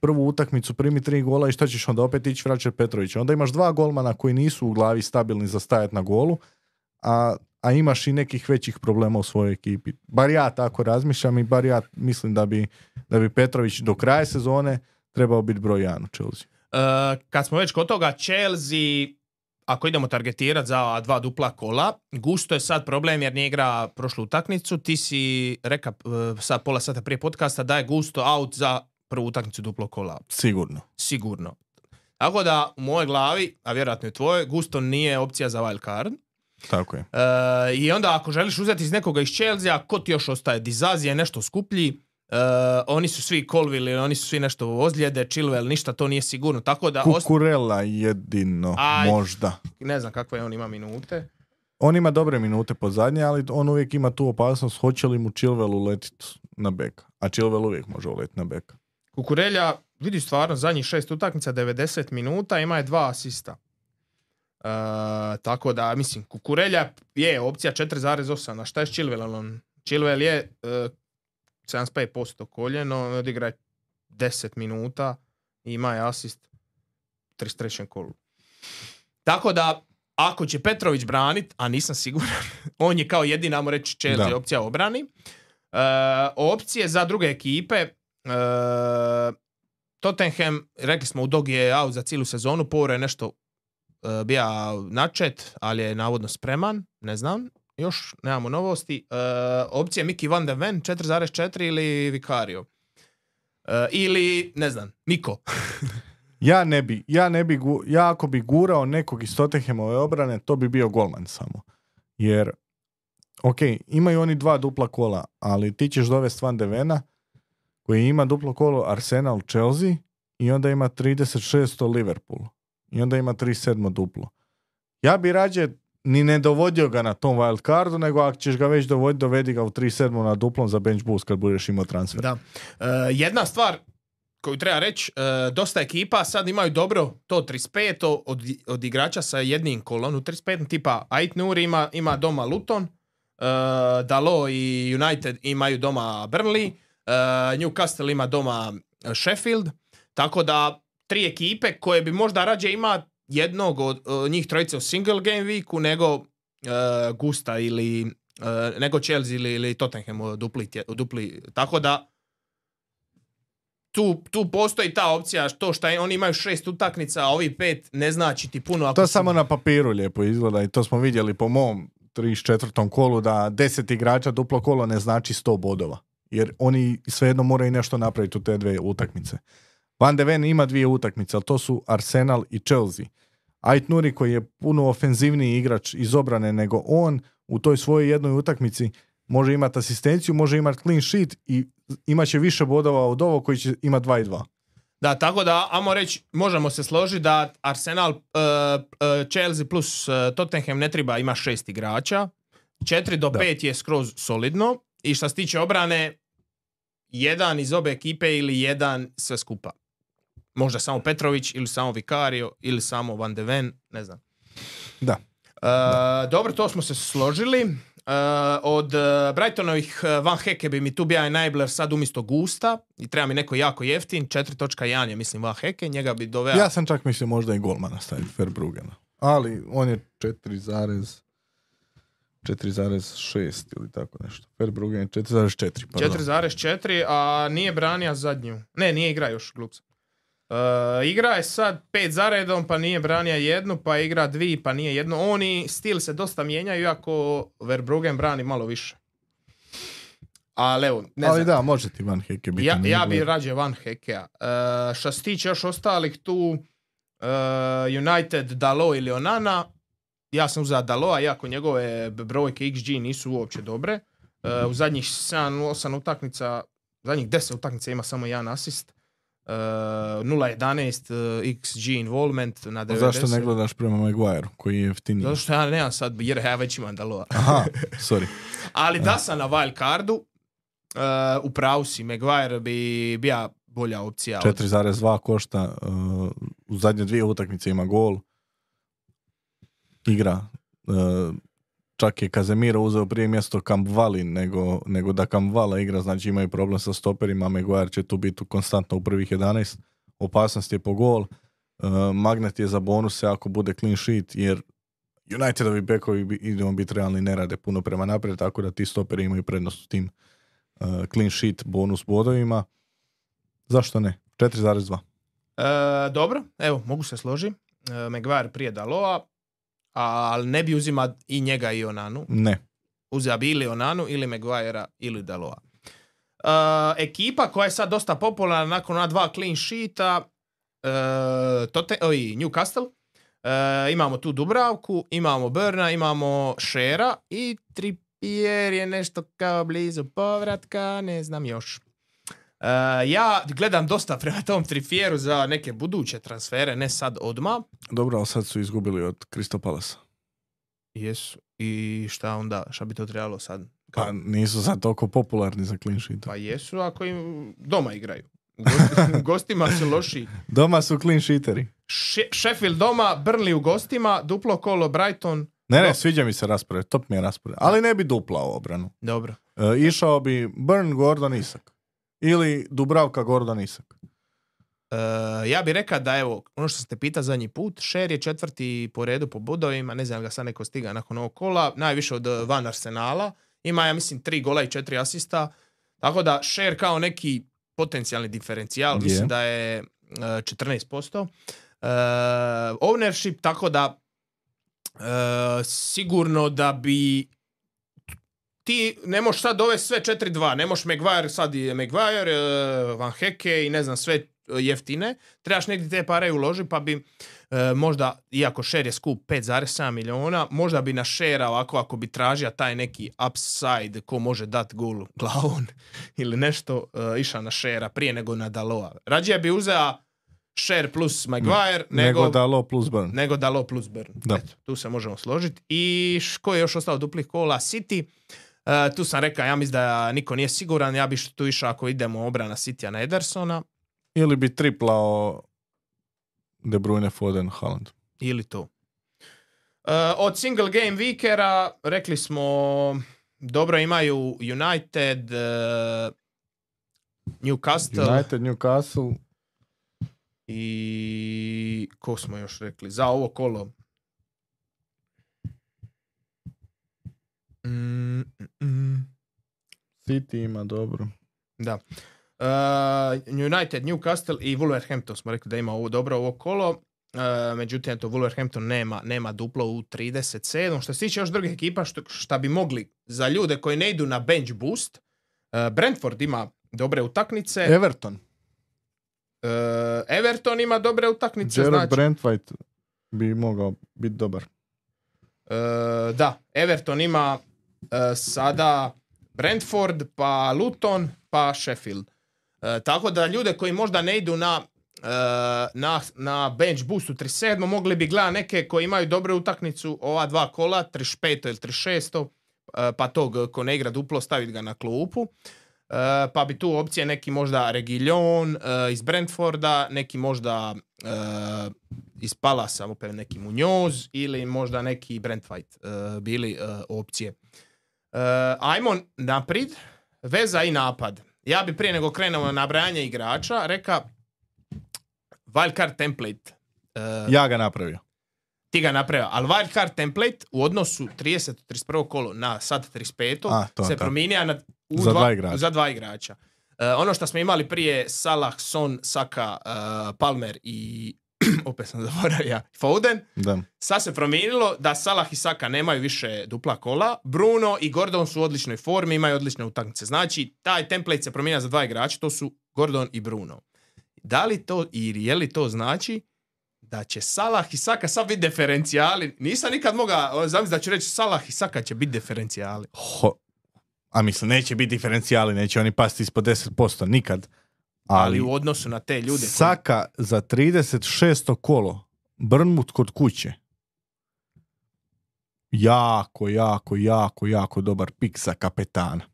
prvu utakmicu primi tri gola i šta ćeš onda opet ići vraćati Petrovića. Onda imaš dva golmana koji nisu u glavi stabilni za stajati na golu, a, a imaš i nekih većih problema u svojoj ekipi. Bar ja tako razmišljam i bar ja mislim da bi, da bi Petrović do kraja sezone trebao biti broj jedan u Chelsea. Uh, kad smo već kod toga, Chelsea, ako idemo targetirati za dva dupla kola, Gusto je sad problem jer nije igra prošlu utakmicu. Ti si rekao uh, sad pola sata prije podcasta da je Gusto out za prvu utakmicu duplo kola. Sigurno. Sigurno. Tako da u mojoj glavi, a vjerojatno i tvojoj, Gusto nije opcija za wild card. Tako je. Uh, I onda ako želiš uzeti iz nekoga iz Chelsea, ko ti još ostaje? Dizazi je nešto skuplji. Uh, oni su svi Colville, oni su svi nešto ozljede, Chilwell, ništa to nije sigurno. Tako da Kukurela jedino, Aj, možda. Ne znam kakve on ima minute. On ima dobre minute po zadnje, ali on uvijek ima tu opasnost hoće li mu Chilwell uletiti na beka. A Chilwell uvijek može uletiti na beka. Kukurelja, vidi stvarno, zadnjih šest utakmica, devedeset minuta, ima je dva asista. Uh, tako da, mislim, Kukurelja je opcija četiri zarez osam. A šta je s Chilwellom? Chilwell je uh, sedamdeset pet posto koljeno, odigra deset minuta i ima je asist u trideset trećem kolu. Tako da, ako će Petrović branit, a nisam siguran, on je kao jedina, ajmo reći, Chelsea Da. opcija obrani. Uh, opcije za druge ekipe, uh, Tottenham, rekli smo, u Dog je out za cijelu sezonu, Power je nešto uh, bija načet, ali je navodno spreman, ne znam. Još nemamo novosti. Uh, opcije Mickey Van de Ven četiri zarez četiri ili Vicario. Uh, ili, ne znam, Niko. Ja ne bi, ja ne bi, gu, ja ako bi gurao nekog iz Tottenhamove obrane, to bi bio golman samo. Jer, ok, imaju oni dva dupla kola, ali ti ćeš dovesti Van de Vena, koji ima duplo kolo Arsenal Chelsea i onda ima trideset šest Liverpool. I onda ima trideset sedam duplo. Ja bi rađe ni ne dovodio ga na tom wild cardu, nego ako ćeš ga već dovoditi, dovedi ga u trideset sedam na duplom za bench boost kad budeš imao transfer. Da. Uh, jedna stvar koju treba reći, uh, dosta ekipa sad imaju dobro to trideset pet od, od igrača sa jednim kolom u trideset pet, tipa Ait Nouri ima, ima doma Luton, uh, Dalot i United imaju doma Burnley, uh, Newcastle ima doma Sheffield, tako da tri ekipe koje bi možda rađe ima jednog od uh, njih trojice u single game weeku nego uh, Gusta ili uh, nego Chelsea ili, ili Tottenham u dupli, tje, u dupli. Tako da tu, tu postoji ta opcija, to što oni imaju šest utakmica, a ovi pet ne znači ti puno. Ako to su... samo na papiru lijepo izgleda i to smo vidjeli po mom trideset četvrtom kolu da deset igrača duplo kolo ne znači sto bodova. Jer oni svejedno moraju nešto napraviti u te dve utakmice. Van de Ven ima dvije utakmice, ali to su Arsenal i Chelsea. Ait Nouri koji je puno ofenzivniji igrač iz obrane nego on, u toj svojoj jednoj utakmici može imati asistenciju, može imati clean sheet i imat će više bodova od ovog koji će imati dva i dva. Da, tako da, ajmo reći, možemo se složiti da Arsenal, uh, uh, Chelsea plus uh, Tottenham ne treba ima šest igrača. četiri do pet je skroz solidno. I što se tiče obrane, jedan iz obe ekipe ili jedan sve skupa. Možda samo Petrović ili samo Vicario ili samo Van de Ven, ne znam. Da. Uh, da. Dobro, to smo se složili. Uh, od uh, Brightonovih uh, Van Heke bi mi tu bio Enabler sad umjesto Gusta i treba mi neko jako jeftin, četiri točka jedan je mislim Van Heke, njega bi doveo... Ja sam čak mislio možda i golmana staviti, Verbrugena. Ali on je četiri zarez šest ili tako nešto. Verbruggen je četiri zarez četiri. četiri zarez četiri, a nije branija zadnju. Ne, nije igra još, glup sam. Uh, igra je sad pet za redom, pa nije branija jednu, pa igra dvi, pa nije jednu. Oni stil se dosta mijenjaju, iako Verbruggen brani malo više. Ali evo, ne Ali znam. da, može ti Van Heke biti. Ja, ja bi rađe Van Hekea. Uh, što se tiče još ostalih tu, uh, United, Dalot ili Onana, ja sam uzeo Dalota, iako njegove brojke X G nisu uopće dobre. Uh, u zadnjih sedam osam utakmica, zadnjih deset utakmica ima samo jedan asist. Uh, nula jedanaest uh, X G involvement na devedeset. Zašto ne gledaš prema Maguire koji je jeftiniji? Zato što ja nemam sad, jer ja već imam Dalota. Aha, sorry. Ali da sam na wild cardu, uh, u pravu si, Maguire bi bija bolja opcija. četiri zarez dva košta, uh, u zadnje dvije utakmice ima gol. Igra. Uh, čak je Casemiro uzeo prije mjesto Kampvali nego, nego da Kampvala igra, znači imaju problem sa stoperima, Maguire će tu biti konstantno u prvih jedanaest, opasnost je po gol, uh, magnet je za bonuse ako bude clean sheet, jer Unitedovi bekovi, idemo biti realni, ne rade puno prema naprijed, tako da ti stoperi imaju prednost u tim uh, clean sheet bonus bodovima. Zašto ne? četiri zarez dva. E, dobro, evo, mogu se složiti. E, Maguire prije Dalota, ali ne bi uzima i njega i Onanu. Ne. Uzeo bi ili Onanu, ili Maguirea, ili Dalota. Uh, ekipa koja je sad dosta popularna nakon ona dva clean sheeta, uh, tote, oj, Newcastle, uh, imamo tu Dubravku, imamo Burna, imamo Shera i Trippier je nešto kao blizu povratka, ne znam još. Uh, ja gledam dosta prema tom Trippieru za neke buduće transfere, ne sad odmah. Dobro, ali sad su izgubili od Crystal Palasa. Jesu. I šta onda? Šta bi to trebalo sad? Kao... Pa nisu sad toliko popularni za clean sheet. Pa jesu ako im doma igraju. Gosti, gostima su loši. Doma su clean sheeteri. She- Sheffield doma, Burnley u gostima, duplo kolo Brighton. Ne, ne, Do... sviđa mi se raspored, top mi je raspored. Ali ne bi duplao obranu. Dobro. E, išao bi Burn, Gordon, Isak. Ili Dubravka, Gordon, Isak. Uh, ja bih rekao da evo, ono što ste pitali zadnji put, Sher je četvrti po redu po bodovima, ne znam ga sad neko stiga nakon ovog kola, najviše od Van Arsenala, ima ja mislim tri gola i četiri asista, tako da Sher kao neki potencijalni diferencijal, mislim je. da je uh, četrnaest posto. Uh, ownership, tako da uh, sigurno da bi ti ne možeš sad ove sve četiri dva, ne možeš Maguire, sad je Maguire, uh, Van Heke i ne znam sve jeftine, trebaš negdje te pare uložiti, pa bi e, možda, iako share je skup pet zarez sedam miliona, možda bi na share ovako, ako bi tražio taj neki upside ko može dati gol glavom ili nešto, e, išao na share prije nego na Dalota. Rađe bi uzeo share plus Maguire ne, nego, nego Dalot plus Burn. Nego Dalot plus Burn. Eto, tu se možemo složiti. I š, ko je još ostao duplih kola? City. E, tu sam rekao, ja mislim da niko nije siguran, ja bi tu išao ako idemo obrana Citya na Edersona. Ili bi triplao De Bruyne, Foden, Haaland. Ili to. Uh, od single game weekera rekli smo dobro imaju United, uh, Newcastle. United, Newcastle. I ko smo još rekli? Za ovo kolo. Mm, mm, mm. City ima dobro. Da. Uh, United, Newcastle i Wolverhampton smo rekli da ima ovo dobro ovo kolo. Uh, međutim, to Wolverhampton nema, nema duplo u trideset sedam. Što se tiče još drugih ekipa, što, šta bi mogli za ljude koji ne idu na bench boost, uh, Brentford ima dobre utakmice. Everton. Uh, Everton ima dobre utakmice. Gerard Znači, Brentwaite bi mogao biti dobar. Uh, da, Everton ima uh, sada Brentford, pa Luton, pa Sheffield. Uh, tako da ljude koji možda ne idu na, uh, na, na bench boostu trideset sedam mogli bi gledati neke koji imaju dobru utakmicu ova dva kola, trideset pet ili trideset šest. Uh, pa tog ko ne igra duplo staviti ga na klupu. Uh, pa bi tu opcije neki možda Reguilon uh, iz Brentforda, neki možda uh, iz Palasa, opet neki Munoz ili možda neki Brent White uh, bili uh, opcije. Uh, ajmo naprijed, veza i napad. Ja bi prije nego krenemo na nabrajanje igrača reka wildcard template. Uh, ja ga napravio. Ti ga napravio, ali wildcard template u odnosu trideset trideset prvo kolo na sad trideset peto A, to, se to. promijenija na, u za, dva, dva igrača. za dva igrača. Uh, ono što smo imali prije Salah, Son, Saka, uh, Palmer i opet sam zaboravio Foden, Da. sad se promijenilo da Salah i Saka nemaju više dupla kola, Bruno i Gordon su u odličnoj formi, imaju odlične utakmice. Znači, taj template se promijenja za dva igrača, to su Gordon i Bruno. Da li to i je li to znači da će Salah i Saka sad biti diferencijali? Nisam nikad mogao zamisliti da ću reći Salah i Saka će biti diferencijali. Ho, a mislim, neće biti diferencijali, neće oni pasti ispod deset posto nikad. Ali, Ali, ali u odnosu na te ljude... Saka za trideset šesto kolo, Bournemouth kod kuće. Jako, jako, jako, jako dobar pik za kapetana.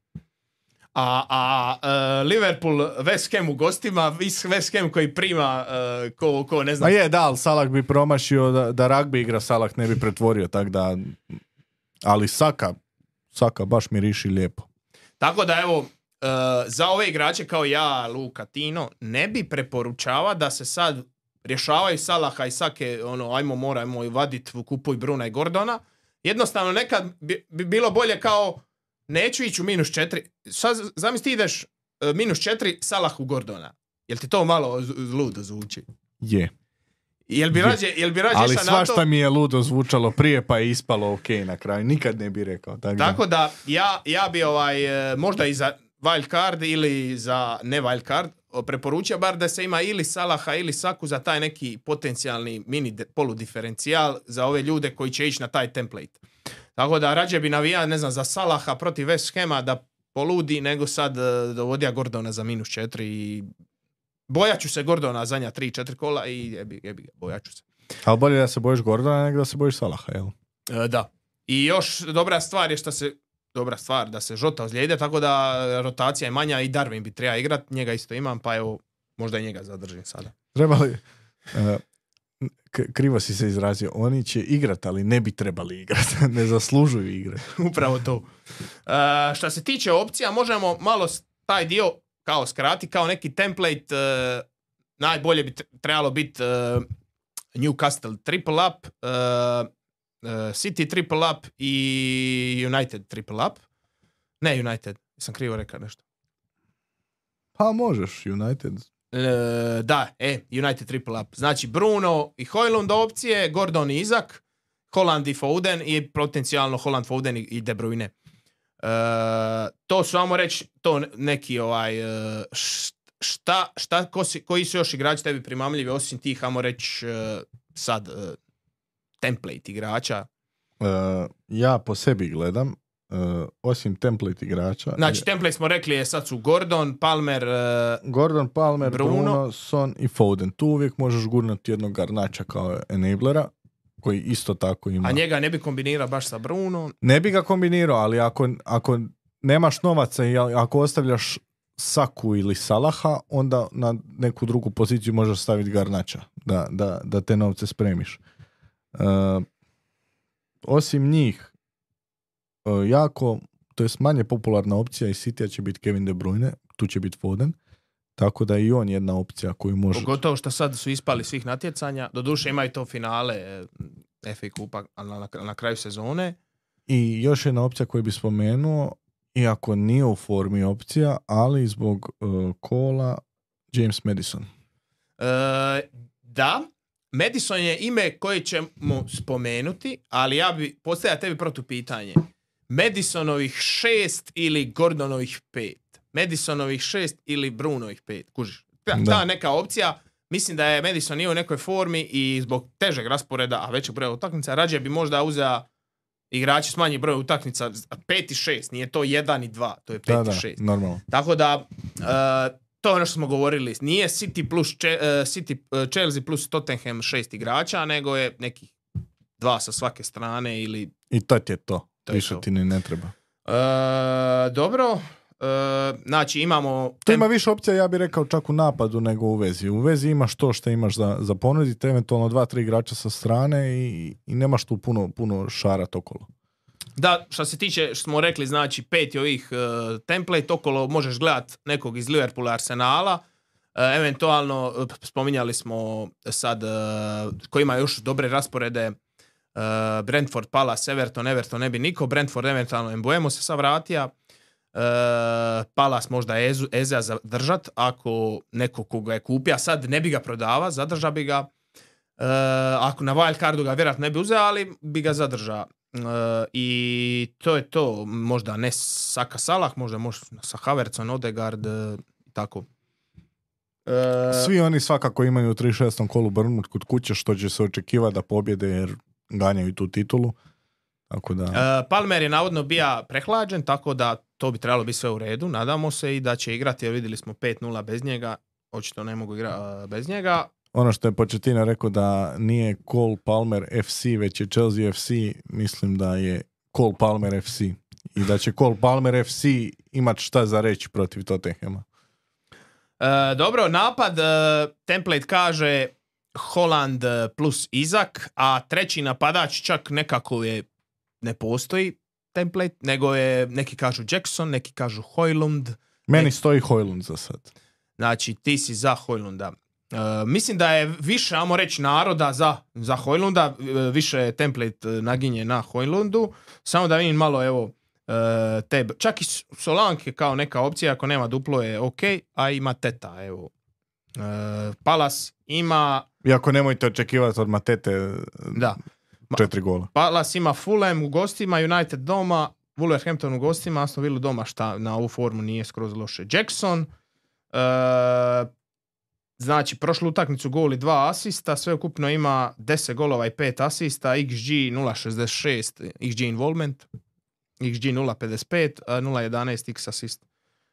A, a uh, Liverpool West Ham u gostima, West Ham koji prima uh, ko, ko ne znam... A je, da, ali Salah bi promašio da, da rugby igra, Salah ne bi pretvorio, tak da... Ali Saka, Saka baš miriši lijepo. Tako da evo, uh, za ove igrače kao ja, Luka, Tino, ne bi preporučava da se sad rješavaju Salaha i Sake, ono, ajmo moramo i vadit, kupuj Bruna i Gordona. Jednostavno nekad bi, bi bilo bolje kao neću ići u minus četiri. Sad zamisli ti ideš uh, minus četiri Salah u Gordona. Jel ti to malo z- ludo zvuči? Je. Jel bi rađe, jel bi rađe Ali išao na to? svašta mi je ludo zvučalo prije pa je ispalo ok na kraju. Nikad ne bi rekao. Tak Tako da ja, ja bi ovaj, e, možda i za wild card ili za ne wild card preporučio bar da se ima ili Salaha ili Saku za taj neki potencijalni mini de, poludiferencijal za ove ljude koji će ići na taj template. Tako da rađe bi navijao, ne znam, za Salaha protiv West Hama da poludi nego sad e, dovodija Gordona za minus četiri i bojat ću se Gordona zadnja tri četiri kola i jebi, jebi, bojat ću se. Ali bolje da se bojiš Gordona nego da se bojiš Salaha, jel? E, da. I još dobra stvar je što se dobra stvar da se Žota ozlijede, tako da rotacija je manja i Darwin bi treba igrat, njega isto imam, pa evo, možda i njega zadržim sada. Trebali, uh, k- krivo si se izrazio, oni će igrat, ali ne bi trebali igrat, ne zaslužuju igrat. Upravo to. Uh, što se tiče opcija, možemo malo taj dio kao skrati, kao neki template, uh, najbolje bi trebalo biti uh, Newcastle triple up, uh, Uh, City triple up i United triple up. Ne United, sam krivo rekao nešto. Pa možeš, United. Uh, da, e, United triple up. Znači Bruno i Højlund opcije, Gordon i Isak, Holland i Foden i potencijalno Holland, Foden i De Bruyne. Uh, to su, ajmo reći, to neki ovaj uh, šta, šta ko si, koji su još igrači tebi primamljivi osim tih, ajmo reći, uh, sad uh, template igrača. Uh, ja po sebi gledam, uh, osim template igrača. Znači, je, template smo rekli je sad su Gordon, Palmer, uh, Gordon, Palmer, Bruno. Bruno. Son i Foden. Tu uvijek možeš gurnati jednog Garnača kao enablera, koji isto tako ima. a njega ne bi kombinirao baš sa Brunom. Ne bi ga kombinirao, ali ako, ako nemaš novaca i ako ostavljaš Saku ili Salaha, onda na neku drugu poziciju možeš staviti Garnača, da, da, da te novce spremiš. Uh, osim njih uh, jako, to je manje popularna opcija i City će biti Kevin De Bruyne, tu će biti Foden, tako da i on jedna opcija koju može... Pogotovo što sad su ispali svih natjecanja, doduše imaju to finale F A kupa na, na, na kraju sezone. I još jedna opcija koju bi spomenuo, iako nije u formi opcija, ali zbog uh, kola, James Madison. E, da, Madison je ime koje ćemo spomenuti, ali ja bi postavio tebi protupitanje. Madisonovih šest ili Gordonovih pet? Madisonovih šest ili Brunovih pet? Kužiš? Ta, ta neka opcija, mislim da je Madison nije u nekoj formi i zbog težeg rasporeda, a većeg broja utakmica, rađe bi možda uzeo igrači s manjim brojem utakmica pet i šest, nije to jedan i dva, to je pet da, i šest. Da, normalno. Tako da, uh, to je ono što smo govorili, nije City plus Če, uh, City, uh, Chelsea plus Tottenham šest igrača, nego je nekih dva sa svake strane ili... I to je to, to više to. ti ni ne treba. E, dobro, e, znači imamo... Tu ima više opcija, ja bih rekao, čak u napadu nego u vezi. U vezi imaš to što imaš za, za ponuditi, eventualno dva, tri igrača sa strane i, i nemaš tu puno, puno šarat okolo. Da, što se tiče, što smo rekli, znači peti ovih uh, template, okolo možeš gledat nekog iz Liverpoola, Arsenala, uh, eventualno, uh, spominjali smo sad, uh, koji ima još dobre rasporede, uh, Brentford, Palace, Everton, Everton ne bi niko, Brentford, eventualno Mbuemo se sad vratija, uh, Palace možda Ezu, Eza zadržat, ako neko koga je kupio, sad ne bi ga prodava, zadrža bi ga, uh, ako na wild cardu ga vjerojatno ne bi uzeo, ali bi ga zadržao. Uh, i to je to, možda ne Saka Salah, možda možda sa Havertzom, Odegaard, uh, tako. Uh, Svi oni svakako imaju u trideset šestom kolu Bournemouth kod kuće, što će se očekivati da pobjede jer ganjaju tu titulu. Tako da... uh, Palmer je navodno bio prehlađen, tako da to bi trebalo biti sve u redu, nadamo se i da će igrati, jer vidjeli smo pet nula bez njega, očito ne mogu igrati uh, bez njega. Ono što je Pochettino rekao da nije Cole Palmer F C, već je Chelsea F C, mislim da je Cole Palmer F C. I da će Cole Palmer F C imat šta za reći protiv Tottenhama. E, dobro, napad, e, template kaže Holland plus Izak, a treći napadač čak nekako je, ne postoji template, nego je, neki kažu Jackson, neki kažu Højlund. Meni neki... stoji Højlund za sad. Znači, ti si za Højlunda. Uh, mislim da je više, ajmo reći, naroda za, za Højlunda, više template naginje na Højlundu, samo da vidim malo, evo, uh, te, čak i Solanke kao neka opcija, ako nema duplo je ok, a ima Teta, evo. Uh, Palace ima... Iako nemojte očekivati od Matete da. četiri gola. Palace ima Fulham u gostima, United doma, Wolverhampton u gostima, Aston Villa doma, šta na ovu formu nije skroz loše. Jackson, uh, znači, prošlu utakmicu gol i dva asista, sve ukupno ima deset golova i pet asista, X G nula zarez šezdeset šest, X G involvement, X G nula zarez pedeset pet, nula zarez jedanaest X assist.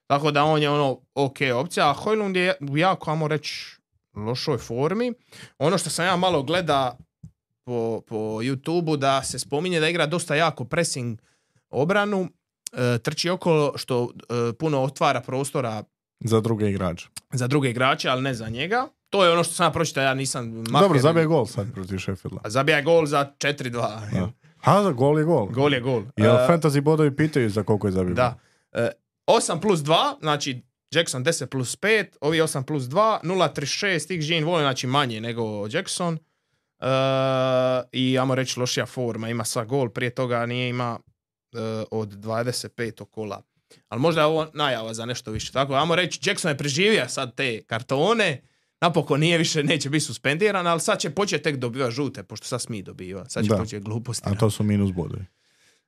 Tako da on je ono ok opcija, a Højlund je u jako, ajmo reći, lošoj formi. Ono što sam ja malo gleda po, po YouTubeu, da se spominje da igra dosta jako pressing obranu, e, trči okolo, što e, puno otvara prostora za druge igrače. Za druge igrače, ali ne za njega. To je ono što sam ja pročitao, ja nisam... Maher, dobro, zabija gol sad protiv Sheffielda. Zabija gol za četiri dva. Ha, za gol je gol. Gol je gol. Jel uh, fantasy bodovi pitaju za koliko je zabio da. gol? Uh, osam plus dva, znači Jackson deset plus pet, ovi osam plus dva, nula zarez trideset šest, X G involvement, znači manje nego Jackson. Uh, I ajmo reći lošija forma, ima sva gol, prije toga nije ima uh, od dvadeset pet kola. Ali možda je ovo najava za nešto više. Tako, ajmo reći, Jackson je preživio sad te kartone, napokon nije više, neće biti suspendiran, ali sad će početi tek dobiva žute, pošto sad smije dobiva. Sad će početi gluposti. A to su minus bodovi.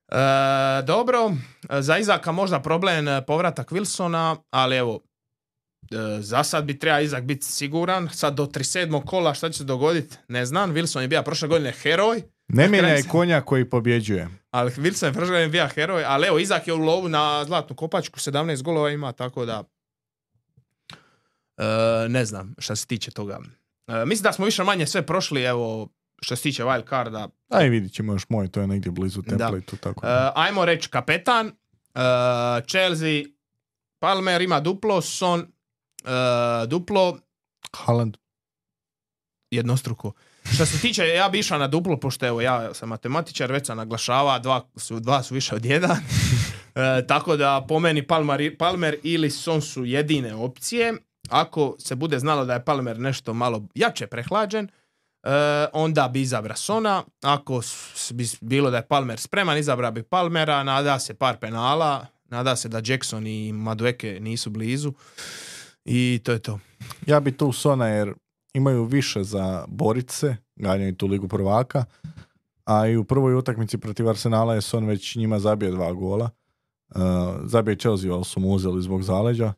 E, dobro, za Izaka možda problem povratak Wilsona, ali evo, e, za sad bi treba Izak biti siguran. Sad do trideset sedmog kola šta će se dogoditi, ne znam. Wilson je bio prošle godine heroj. Ne mijenjaj konja koji pobjeđuje. Ali Wilson je prošle godine bio heroj, ali evo, Izak je u lovu na zlatnu kopačku, sedamnaest golova ima, tako da e, ne znam šta se tiče toga. E, mislim da smo više manje sve prošli, evo, što se tiče wild carda. Aj, vidit ćemo još moj, to je negdje blizu templateu. Tako da. E, ajmo reći kapetan, e, Chelsea, Palmer ima duplo, Son e, duplo, Haaland jednostruko. Što se tiče, ja bi išao na duplo, pošto evo, ja sam matematičar, već sam naglašava, dva su, dva su više od jedan. e, tako da po meni Palmer, Palmer ili Son su jedine opcije. Ako se bude znalo da je Palmer nešto malo jače prehlađen, e, onda bi izabra Sona. Ako bi bilo da je Palmer spreman, izabra bi Palmera, nada se par penala, nada se da Jackson i Madueke nisu blizu. I to je to. Ja bi tu Sona jer imaju više za borice, ganjaju tu ligu prvaka, a i u prvoj utakmici protiv Arsenala je Son već njima zabio dva gola. Uh, zabije Chelsea, ali su mu uzeli zbog zaleđa.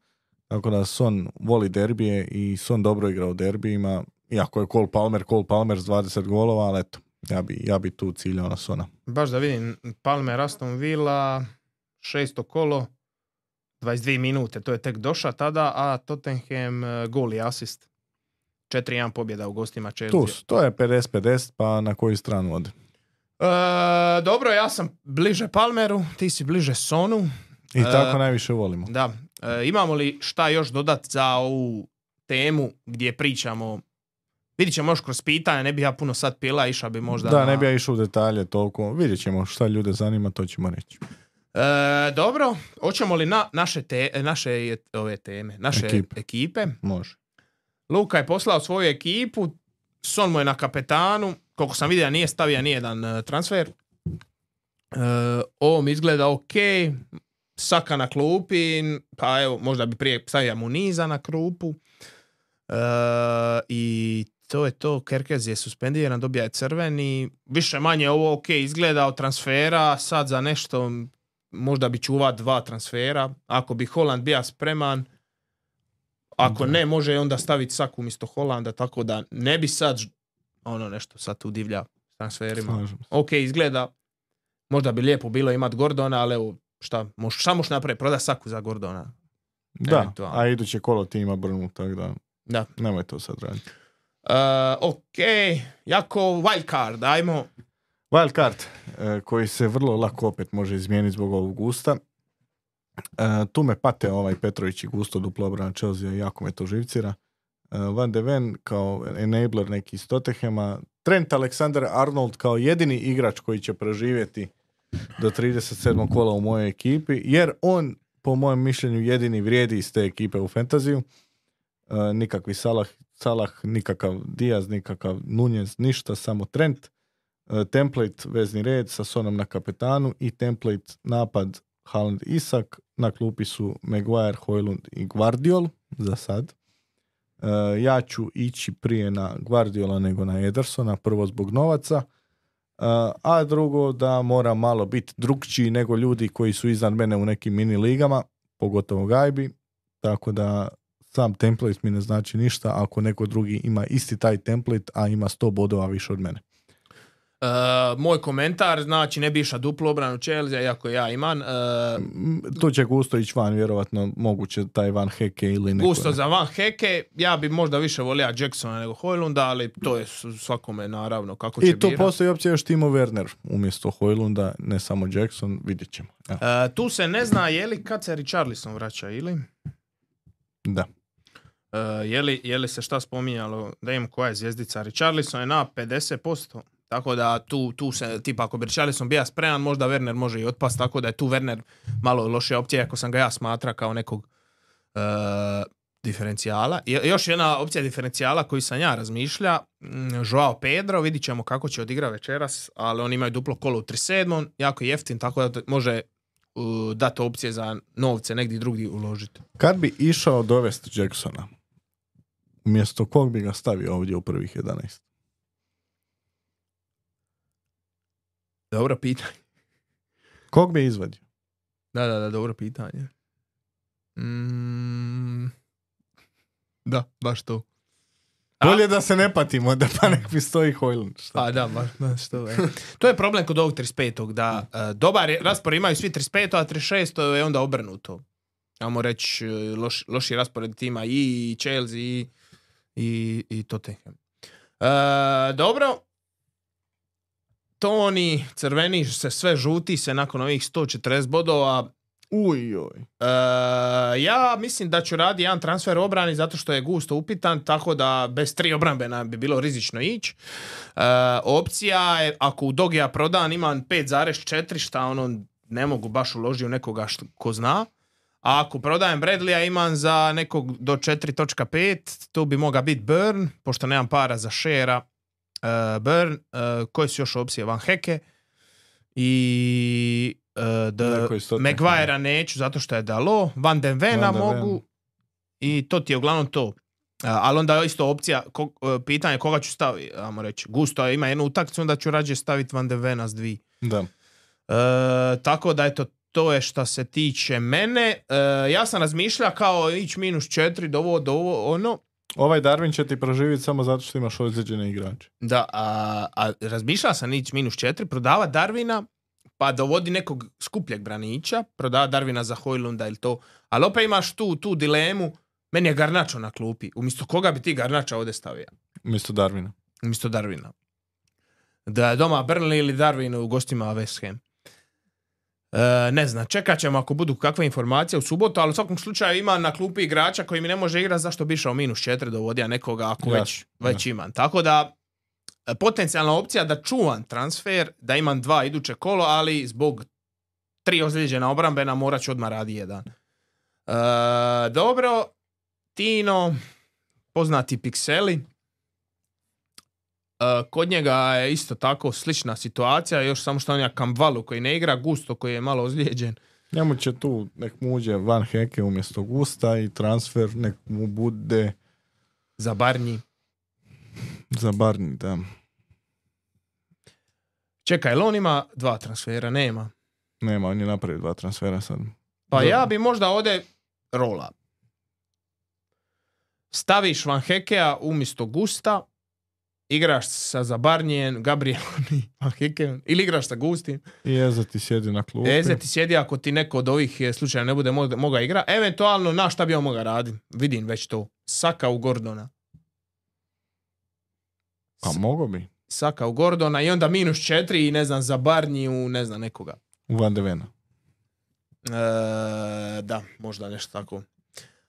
Tako da Son voli derbije i Son dobro igra u derbijima. Iako je Cole Palmer, Cole Palmer s dvadeset golova, ali eto, ja bi, ja bi tu ciljao na Sona. Baš da vidim, Palmer, Aston Villa, šesto kolo, dvadeset dvije minute, to je tek došao tada, a Tottenham gol i asist. četiri jedan pobjeda u gostima Chelsea. Tu, to je pedeset pedeset, pa na koju stranu ode? E, dobro, ja sam bliže Palmeru, ti si bliže Sonu. I tako E, najviše volimo. Da. E, imamo li šta još dodat za ovu temu gdje pričamo? Vidit ćemo još kroz pitanja, ne bi ja puno sad pila, išao bi možda Da, na... ne bi ja išao u detalje toliko. Vidjet ćemo šta ljude zanima, to ćemo reći. E, dobro, hoćemo li na naše, te, naše ove teme, naše Ekipe. ekipe? Može. Luka je poslao svoju ekipu, Son mu je na kapetanu, koliko sam vidio nije stavio nijedan uh, transfer. Uh, ovo mi izgleda ok, Saka na klupi, pa evo, možda bi prije stavio Muniza na klupu. Uh, I to je to, Kerkez je suspendiran, dobija je crveni, više manje ovo ok izgleda od transfera, sad za nešto možda bi čuva dva transfera, ako bi Haaland bio spreman, ako ne, može onda staviti Saku umjesto Holanda, tako da ne bi sad ono nešto sad tu divlja s transferima. Slažem se. Ok, izgleda, možda bi lijepo bilo imati Gordona, ali evo, šta, moš, šta možeš napraviti, proda Saku za Gordona. Da, Eventualno. a iduće kolo ti ima Brnu, tako da Da. nemoj to sad raditi. Uh, ok, jako wild card, ajmo. Wild card, e, koji se vrlo lako opet može izmijeniti zbog ovog gusta. E, tu me pate ovaj Petrović i gusto duplo obrana Chelsea, jako me to živcira. E, Van de Ven kao enabler neki iz Tottenhama. Trent Alexander-Arnold kao jedini igrač koji će preživjeti do trideset sedmog kola u mojoj ekipi, jer on, po mojem mišljenju, jedini vrijedi iz te ekipe u fantaziju. E, nikakvi Salah, Salah, nikakav Diaz, nikakav Nunez, ništa, samo Trent. E, template vezni red sa Sonom na kapetanu i template napad Haaland Isak. Na klupi su Maguire, Højlund i Gvardiol za sad. E, ja ću ići prije na Gvardiola nego na Edersona, prvo zbog novaca, e, a drugo da mora malo biti drukčiji nego ljudi koji su iznad mene u nekim mini ligama, pogotovo Gajbi, tako da sam template mi ne znači ništa ako neko drugi ima isti taj template, a ima sto bodova više od mene. Uh, moj komentar, znači ne bi išao duplu obranu Chelsea, iako ja imam. Uh, Tu će Gusto ići van, vjerovatno moguće taj Van Heke ili neko. Gusto za Van Heke, ja bi možda više volio Jacksona nego Højlunda, ali to je svakome naravno kako će I tu birat. postoji opcija još Timo Werner umjesto Højlunda, ne samo Jackson, vidjet ćemo. Uh, tu se ne zna je li kad se Richarlison vraća ili? Da. Uh, je, li, je li se šta spominjalo da imam koja je zvijezdica? Richarlison je na pedeset posto. Tako da tu, tu se, tipa ako bi Richarlison bio spreman, možda Werner može i otpast, tako da je tu Werner malo lošija opcija, ako sam ga ja smatra kao nekog uh, diferencijala. I još jedna opcija diferencijala koju sam ja razmišlja, Joao Pedro, vidit ćemo kako će odigrati večeras, ali oni imaju duplo kolo u trideset sedmom, jako jeftin, tako da može uh, dati opcije za novce negdje drugdje uložiti. Kad bi išao dovesti Jacksona, umjesto kog bi ga stavio ovdje u prvih jedanaest? Dobro pitanje. Kog bi izvadio? Da, da, da, dobro pitanje. Mm, da, baš to. A, Bolje da se ne patimo, da pa nek mi stoji Højlund. Šta? a da, baš, baš to. Je. To je problem kod ovog trideset petog da uh, dobar je, raspored imaju svi trideset pet, a trideset šest je onda obrnuto. Ajmo reći, loš, loši raspored tima i Chelsea i, i, i Tottenham. Uh, dobro. Toni, crveni se, sve žuti se nakon ovih sto četrdeset bodova. Uj, oj. Uh, ja mislim da ću raditi jedan transfer obrani zato što je Gusto upitan, tako da bez tri obrambena bi bilo rizično ići. Uh, opcija je, ako u Dogija prodam imam pet zarez četiri, šta ono ne mogu baš uložiti u nekoga što, ko zna. A ako prodajem Bradleya imam za nekog do četiri točka pet, tu bi mogao biti Burn, pošto nemam para za Shera. Uh, Burn, uh, koje su još opcije? Van Heke i uh, the Maguirea neću zato što je dalo, Van den Vena Van den mogu Ven. i to ti je uglavnom to. Uh, ali onda je isto opcija, ko, uh, pitanje koga ću staviti, ajmo reći. Gusto ima jednu utakmicu, onda ću rađe staviti Van den Vena s dvi. Da. Uh, tako da eto, to je što se tiče mene. Uh, ja sam razmišljao kao ići minus četiri do ovo, do ovo, ono. Ovaj Darwin će ti proživjeti samo zato što imaš ozlijeđene igrače. Da, a, a razmišljala sam ići minus četiri, prodava Darwina, pa dovodi nekog skupljeg branića, prodava Darwina za Højlunda ili to, ali opet imaš tu, tu dilemu, meni je Garnacho na klupi, umjesto koga bi ti Garnača ovdje stavio? Umjesto Darwina. Umjesto Darwina. Da je doma Burnley ili Darwin u gostima West Ham. E, ne znam, čekat ćemo ako budu kakve informacije u subotu, ali u svakom slučaju ima na klupi igrača koji mi ne može igrati, zašto bi išao minus četiri dovodija nekoga ako Jasno, već, već imam. Tako da, potencijalna opcija da čuvam transfer, da imam dva iduće kolo, ali zbog tri ozlijeđena obrambena morat ću odmah radi jedan. E, dobro, Tino, poznati pikseli. E, kod njega je isto tako slična situacija, još samo što on je Kamvalu koji ne igra, Gusto koji je malo ozlijeđen. Njemu će tu nek mu uđe Van Heke umjesto Gusta i transfer nek mu bude Za Barnji. za Barnji, da. Čekaj, jel on ima dva transfera? Nema. Nema, on je napravio dva transfera sad. Pa Da. ja bi možda ovdje rola. Staviš Van Hekea umjesto Gusta, igraš sa Zabarnijem, Gabrielom i Van Hekeom, ili igraš sa Gustim. I Eze ti sjedi na klupi. Eze ti sjedi ako ti neko od ovih slučaja ne bude mo- moga igra. Eventualno, na šta bi on moga raditi? Vidim već to. Saka u Gordona. Pa mogo bi. Saka u Gordona i onda minus četiri i ne znam, Zabarniju, ne znam, nekoga. U Van de Vena. E, da, možda nešto tako.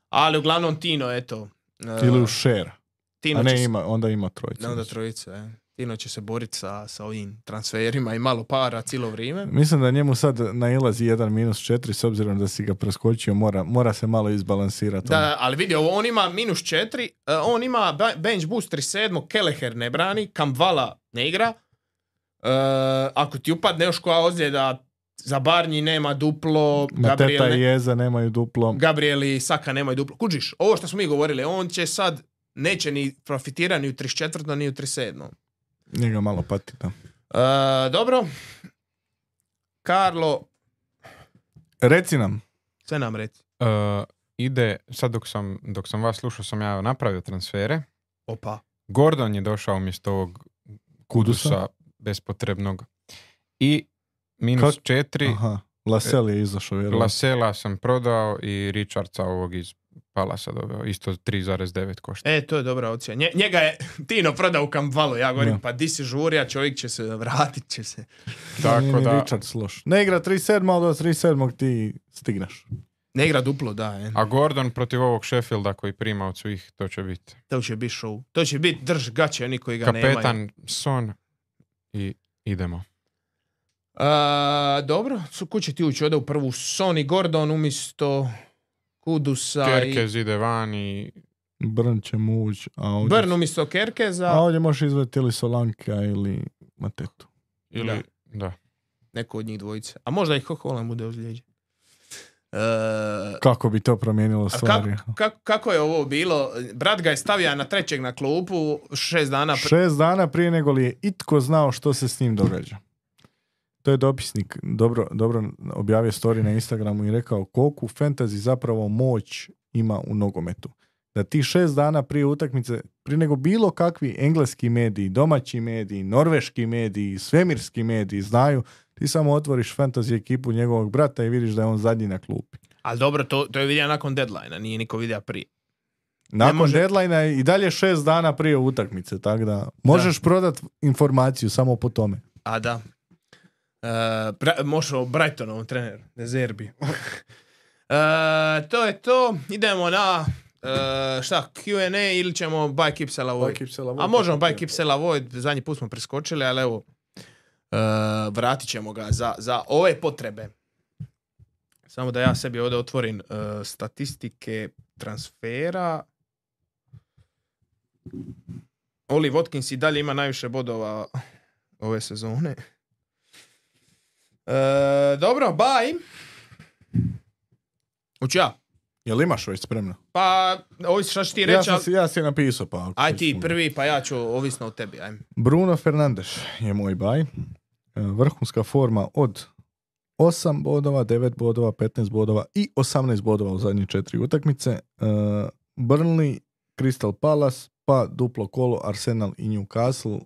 Ali uglavnom Tino, eto. E, Ili u Šera. Tino A će ne, se- ima, onda ima trojicu. onda trojice. E. Tino će se boriti sa, sa ovim transferima i malo para cijelo vrijeme. Mislim da njemu sad nailazi jedan minus četiri, s obzirom da si ga preskočio, mora, mora se malo izbalansirati. Da, ali vidi, ovo, on ima minus četiri, uh, on ima ba- bench boost trideset sedam, Kelleher ne brani, Kamvala ne igra. Uh, ako ti upadne još koja ozljeda, za Barnji nema duplo, Mateta Gabriel, i ne, Eza nemaju duplo. Gabriel i Saka nemaju duplo. Kužiš, ovo što smo mi govorili, on će sad, neće ni profitirati ni u trideset četiri ni u trideset sedam. Njega malo pati, da. Uh, dobro. Karlo, Reci nam. sve nam reci. Uh, ide, sad dok sam, dok sam vas slušao sam ja napravio transfere. Opa. Gordon je došao umjesto ovog Kudusa. Kudusa bespotrebnog. I minus Kak- četiri, Aha. Lasel je izašao, vjerovatno. Lasela sam prodao i Richardsa ovog iz Palasa doveo. Isto tri zarez devet košta. E, to je dobra opcija. Nje, njega je Tino prodao u Kamvalu. Ja govorim, Da. pa di si žurija, čovjek će se vratit će se. Nije Tako ni da, Richards loš. Ne igra trideset sedam, ali do trideset sedam ti stigneš. Ne igra duplo, da. Je. a Gordon protiv ovog Sheffielda koji prima od svih, to će biti To će biti show. To će biti drž gaće, oni koji ga nemaju. kapetan Son i idemo. A, dobro, su kuće ti ući ovdje u prvu Sony Gordon umjesto Kudusa Kerkez ide van i Brn će mu ući. A i ovdje, Brn umjesto Kerkeza. a ovdje možeš izveti ili Solanka ili Matetu. ili, da. Neko od njih dvojice. A možda i Hoholan bude ozlijeđen. E, Kako bi to promijenilo a stvari? kako, kako, kako je ovo bilo? Brat ga je stavio na trećeg na klupu šest dana pre... Šest dana prije nego li je itko znao što se s njim događa. To je dopisnik dobro, dobro objavio story na Instagramu i rekao koliko fantasy zapravo moć ima u nogometu. Da ti šest dana prije utakmice, prije nego bilo kakvi engleski mediji, domaći mediji, norveški mediji, svemirski mediji znaju, ti samo otvoriš fantasy ekipu njegovog brata i vidiš da je on zadnji na klupi. Ali dobro, to, to je vidio nakon deadline-a, nije niko vidio prije. Nakon može- deadline-a je i dalje šest dana prije utakmice, tako da možeš prodat informaciju samo po tome. A da. Uh, bra- možeš o Brightonovom treneru, De Zerbi. uh, to je to. Idemo na uh, šta, Q and A ili ćemo Buy Keep Sell Avoid? A možemo Buy Keep Sell Avoid, zadnji put smo preskočili, ali evo, uh, vratit ćemo ga za, za ove potrebe. Samo da ja sebi ovdje otvorim uh, statistike transfera. Oli Watkins i dalje ima najviše bodova ove sezone. E, dobro, bye. Uću ja. Jel imaš već spremno? Pa, ovisi šta ću ti Ja reći, sam ali... si, ja si je napisao, pa... ako Aj si ti sumnjao. prvi, pa ja ću ovisno o tebi. Ajme. Bruno Fernandes je moj baj. E, Vrhunska forma od osam bodova, devet bodova, petnaest bodova i osamnaest bodova u zadnje četiri utakmice. E, Burnley, Crystal Palace, pa duplo kolo Arsenal i Newcastle.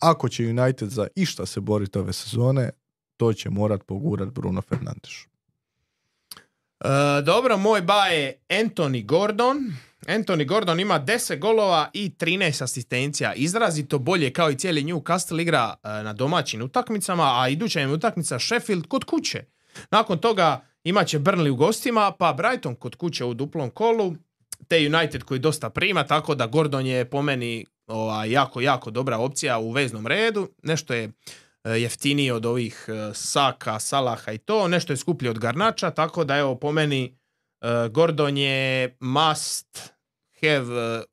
Ako će United za išta se boriti ove sezone, to će morat pogurat Bruno Fernandes. E, dobro, moj baj je Anthony Gordon. Anthony Gordon ima deset golova i trinaest asistencija. Izrazito bolje kao i cijeli Newcastle igra uh, na domaćim utakmicama, a iduća im utakmica Sheffield kod kuće. Nakon toga imat će Burnley u gostima, pa Brighton kod kuće u duplom kolu, te United koji dosta prima, tako da Gordon je po meni ovaj, jako, jako dobra opcija u veznom redu. Nešto je uh, jeftiniji od ovih uh, Saka, Salaha i to, nešto je skuplje od Garnača, tako da evo po meni uh, Gordon je must have,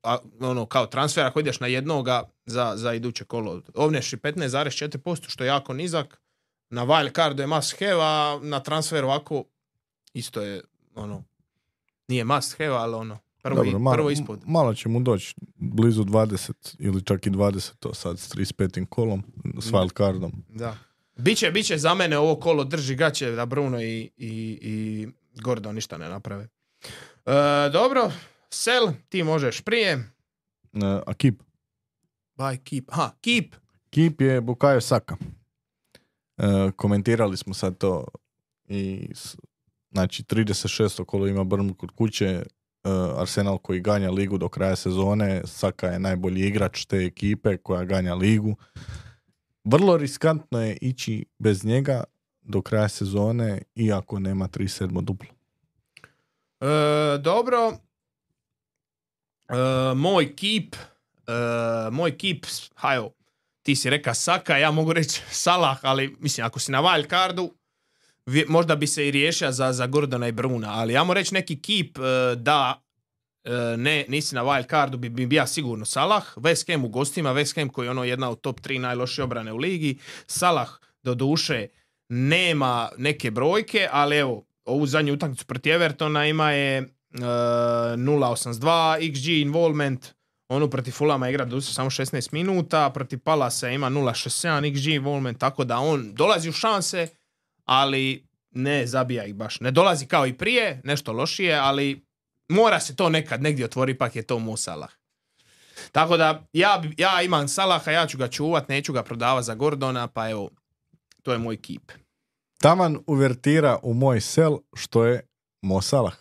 uh, ono, kao transfer ako ideš na jednoga za, za iduće kolo. Ovneš i petnaest zarez četiri posto što je jako nizak. Na wild cardu je must have, a na transferu ovako isto je, ono, nije must have, ali ono, prvo, Dobro, malo, prvo ispod. Malo će mu doći blizu dvadeset ili čak i dvadeset, to sad s trideset petim kolom, s wild cardom. Da. Biće, biće za mene ovo kolo drži gaće da Bruno i, i, i Gordon ništa ne naprave. E, dobro, Sel, ti možeš prije. Uh, a Keep? By Keep. Ha, Keep. Keep je Bukayo Saka. Uh, komentirali smo sad to i s, znači trideset šesto kolo ima Burnley kod kuće, uh, Arsenal koji ganja ligu do kraja sezone, Saka je najbolji igrač te ekipe koja ganja ligu. Vrlo riskantno je ići bez njega do kraja sezone, iako nema trideset sedam duplo. E, dobro. E, moj Keep, e, moj Keep, hajo, ti si reka Saka, ja mogu reći Salah, ali mislim, ako si na wild cardu, možda bi se i riješio za, za Gordona i Bruna, ali ja mogu reći neki Keep e, da e, ne, nisi na wild cardu, bi, bi bija sigurno Salah. West Ham u gostima, West Ham koji je ono jedna od top tri najlošije obrane u ligi. Salah do duše nema neke brojke, ali evo, ovu zadnju utakmicu protiv Evertona ima je uh, nula zarez osamdeset dva X G involvement, onu protiv Fulama igra do samo šesnaest minuta, protiv Palasa ima nula zarez šezdeset sedam X G involvement, tako da on dolazi u šanse, ali ne zabija ih baš. Ne dolazi kao i prije, nešto lošije, ali mora se to nekad negdje otvori, ipak je to Mo Salah. Tako da ja, ja imam Salaha, ja ću ga čuvat, neću ga prodavati za Gordona, pa evo, to je moj Keep. Taman uvertira u moj sel što je Mo Salah.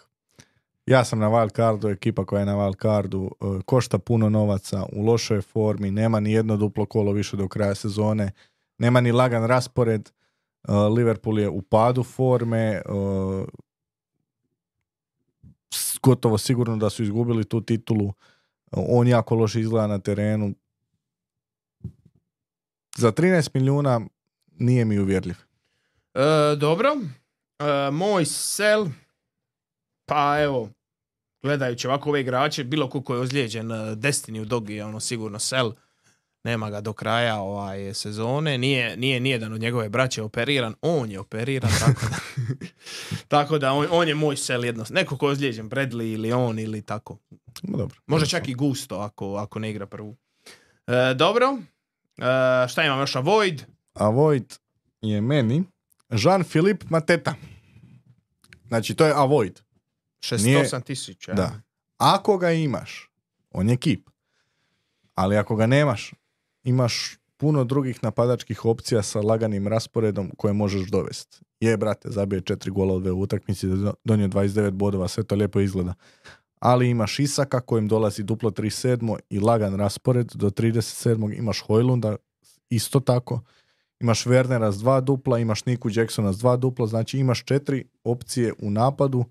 Ja sam na wild cardu, ekipa koja je na wild cardu košta puno novaca, u lošoj formi, nema ni jedno duplo kolo više do kraja sezone, nema ni lagan raspored, Liverpool je u padu forme, gotovo sigurno da su izgubili tu titulu, on jako loše izgleda na terenu. Za trinaest milijuna nije mi uvjerljiv. E, dobro, e, moj sel, pa evo, gledajući ovako ove igrače, bilo ko je ozlijeđen, Destiny u Dogi je ono sigurno sel, nema ga do kraja ovaj sezone, nije, nije nijedan od njegove braće operiran, on je operiran, tako da, tako da on, on je moj sel jednostavno, neko ko je ozlijeđen, Bradley ili on ili tako. No, dobro. Možda čak i Gusto ako, ako ne igra prvu. E, dobro, e, šta imam još, Avoid? Avoid je meni Jean-Philippe Mateta. Znači, to je Avoid. šezdeset osam tisuća. Da. Ako ga imaš, on je Keep. Ali ako ga nemaš, imaš puno drugih napadačkih opcija sa laganim rasporedom koje možeš dovesti. Je, brate, zabije četiri gola u dve utakmici, donio dvadeset devet bodova, sve to lijepo izgleda. Ali imaš Isaka kojem dolazi duplo trideset sedam i lagan raspored do trideset sedam. Imaš Hojlunda isto tako. Imaš Wernera s dva dupla, imaš Niku Jacksona s dva dupla, znači imaš četiri opcije u napadu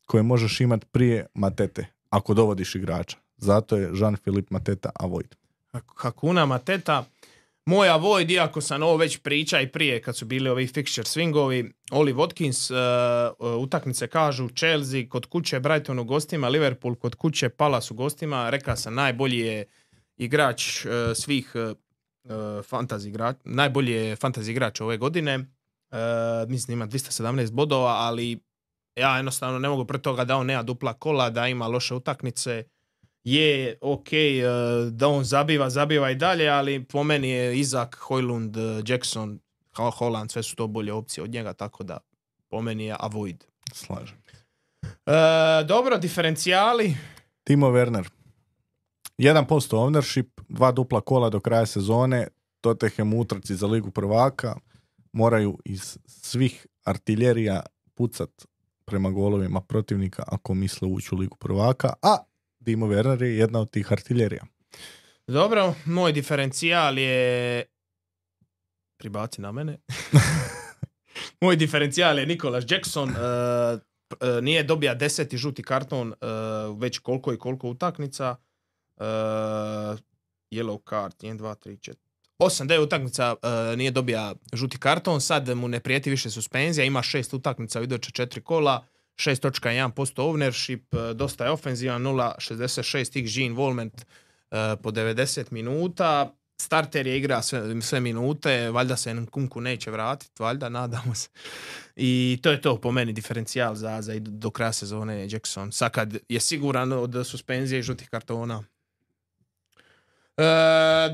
koje možeš imati prije Matete, ako dovodiš igrača. Zato je Jean-Philippe Mateta Avoid. Hakuna Mateta. Moj Avoid, iako sam ovo već priča i prije kad su bili ovi fixture swingovi, Oli Watkins, uh, uh, utakmice kažu Chelsea kod kuće, Brighton u gostima, Liverpool kod kuće, Palace u gostima. Rekao sam, najbolji je igrač uh, svih uh, fantasy igrač, najbolji je fantasy igrač ove godine. Uh, mislim ima dvjesto sedamnaest bodova, ali ja jednostavno ne mogu pred toga da on nema dupla kola, da ima loše utakmice. Je ok, uh, da on zabiva, zabiva i dalje, ali po meni je Izak, Hojlund, Jackson, Holland, sve su to bolje opcije od njega, tako da po meni je Avoid. Slažem. Uh, dobro, diferencijali. Timo Werner. jedan posto ownership, dva dupla kola do kraja sezone, Tottenham utrci za ligu prvaka, moraju iz svih artiljerija pucat prema golovima protivnika ako misle ući u ligu prvaka, a Timo Werner je jedna od tih artiljerija. Dobro, moj diferencijal je... Pribaci na mene. Moj diferencijal je Nicholas Jackson. Uh, uh, nije dobija deseti žuti karton uh, već koliko i koliko utakmica. Uh, yellow card, jedan, dva, tri, četiri. osam devet utakmica uh, nije dobija žuti karton, sad mu ne prijeti više suspenzija, ima šest utakmica u iduće četiri kola, šest zarez jedan posto ownership, uh, dosta je ofenzivan, nula zarez šezdeset šest X G involvement uh, po devedeset minuta. Starter je igra sve, sve minute, valjda se Nkunku neće vratiti, valjda, nadamo se. I to je to po meni diferencijal za, za do kraja sezone Jackson. Sad kad je siguran od suspenzije i žutih kartona. E,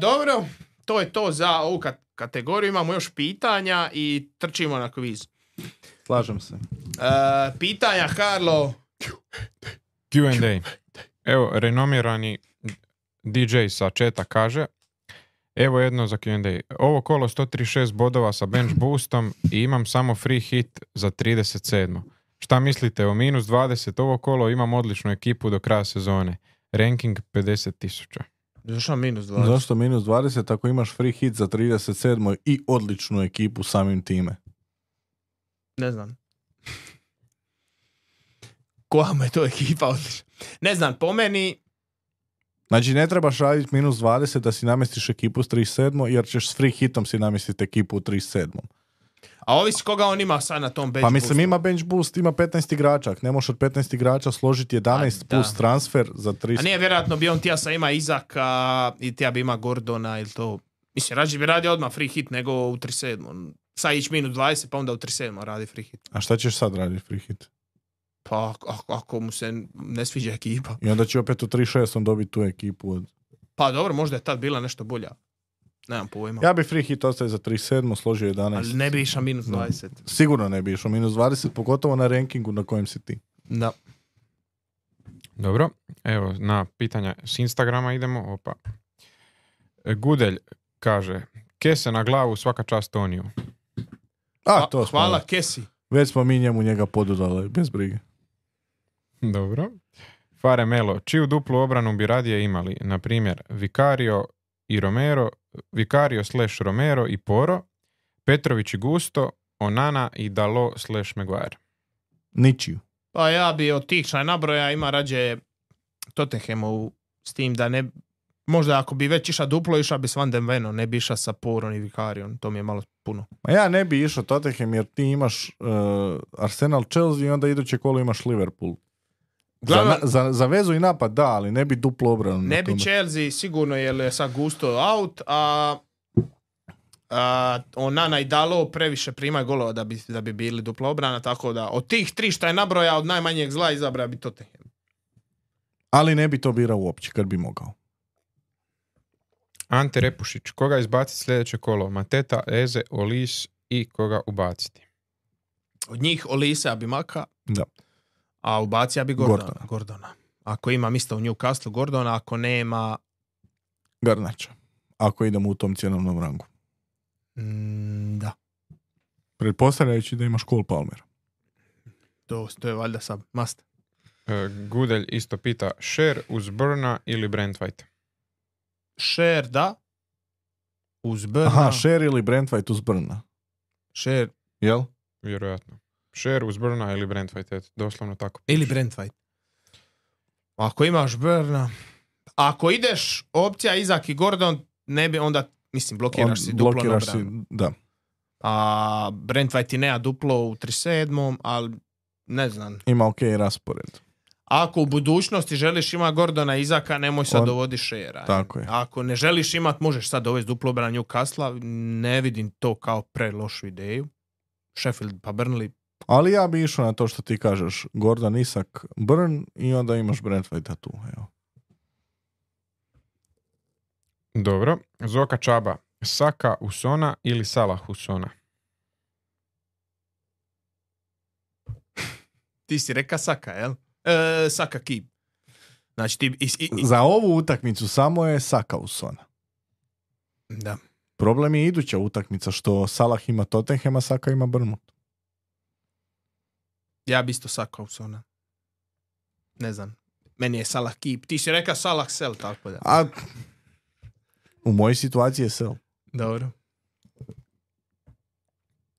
dobro, to je to za ovu kategoriju. Imamo još pitanja i trčimo na kviz. Slažem se. E, pitanja, Karlo. Q and A. Evo, renomirani D J sa četa kaže: evo jedno za Q and A. Ovo kolo sto trideset šest bodova sa bench boostom i imam samo free hit za trideset sedam. Šta mislite o minus dvadeset? Ovo kolo imam odličnu ekipu do kraja sezone. Ranking pedeset tisuća. Zašto minus dvadeset? Zašto minus dvadeset ako imaš free hit za trideset sedam i odličnu ekipu samim time? Ne znam. Koja mu je to ekipa odlična? Ne znam, po meni... Znači ne trebaš raditi minus dvadeset da si namestiš ekipu s trideset sedam jer ćeš s free hitom si namestiti ekipu u trideset sedam. A ovisi koga on ima sad na tom bench Pa mislim boostu. ima bench boost, ima petnaest igrača. Ne možeš od petnaest igrača složiti jedanaest A, plus da. transfer za trideset. A nije vjerojatno bi on tija sa ima Izaka i tija bi ima Gordona ili to. Mislim, rađe bi radio odmah free hit nego u trideset sedam. Sad ići minus dvadeset pa onda u trideset sedam radi free hit. A šta ćeš sad raditi free hit? Pa ako, ako mu se ne sviđa ekipa. I onda će opet u trideset šest dobiti tu ekipu. Od... Pa dobro, možda je tad bila nešto bolja. Nemam pojma. Ja bi free hit ostaje za trideset sedam, složio jedanaest. Ali ne bi išao minus dvadeset. No. Sigurno ne bi išao minus dvadeset, pogotovo na rankingu na kojem si ti. Da. Dobro, evo na pitanja s Instagrama idemo. Opa. Gudelj kaže: kese na glavu, svaka čast Toniju. A, to smo, Hvala Kesi. već smo mi njemu njega podudali, bez brige. Dobro. Fare Melo, čiju duplu obranu bi radije imali? Na primjer, Vicario i Romero, Vicario slash Romero i Poro, Petrović i Gusto, Onana i Dalo slash Maguire. Ničiju. Pa ja bi od tih šta je nabroja ima rađe Tottenhamu s tim da ne... Možda ako bi već iša duplo, iša bi s Van den Veno, ne bi iša sa Porom i Vicarion. To mi je malo puno. Ma ja ne bi išao Tottenham jer ti imaš uh, Arsenal, Chelsea i onda iduće kolo imaš Liverpool. Glavno, za, za, za vezu i napad da, ali ne bi duplo obranu. ne bi Chelsea sigurno jer je sad Gusto out, a, a Onana i Dalo previše primaju golova da bi, da bi bili duplo obrana, tako da od tih tri šta je nabroja od najmanjeg zla izabra bi Tottenham. Ali ne bi to birao uopće kad bi mogao. Ante Repušić, koga izbaciti sljedeće kolo? Mateta, Eze, Olis i koga ubaciti? Od njih Olisa bi maka, Da. a ubacija bi Gordona. Gordona. Gordona. Ako ima isto u Newcastle Gordona, ako nema... Garnača. Ako idemo u tom cjenovnom rangu. Mm, da, Pretpostavljajući da imaš Cole Palmer. to, to je valjda sad must. E, Gudelj isto pita, Sher uz Burna ili Brent White? Sher, da. Uz Burna. Aha, Sher ili Brent White uz Burna. Sher Jel? Vjerojatno. Sher uz Burna ili Brent White, eto, doslovno tako. ili Brent White. Ako imaš Burna... Ako ideš opcija Izak i Gordon, ne bi onda, mislim, blokiraš On, si duplo blokiraš na si, obranu. da. A Brent White i nema duplo u trideset sedam, ali ne znam. Ima ok raspored. Ako u budućnosti želiš imati Gordona i Izaka, nemoj sad On- dovodi Shera. Tako je. Ako ne želiš imati, možeš sad dovesti duplo obranu Newcastle. Ne vidim to kao pre lošu ideju. Sheffield pa Burnley. Ali ja bi išao na to što ti kažeš. Gordon, Isak, Burn i onda imaš Brent White tu. Evo. Dobro. Zoka Čaba, Saka Usona ili Salah Usona? Ti si reka Saka, jel? E, Saka Keep. Znači ti... Is, i, i, Za ovu utakmicu samo je Saka Usona. da. Problem je iduća utakmica što Salah ima Tottenham, a Saka ima Bournemouth. Ja bi isto Saka Usona. Ne znam. Meni je Salah keep. Ti si rekao Salah sell, tako da. A u mojoj situaciji je sell. Dobro.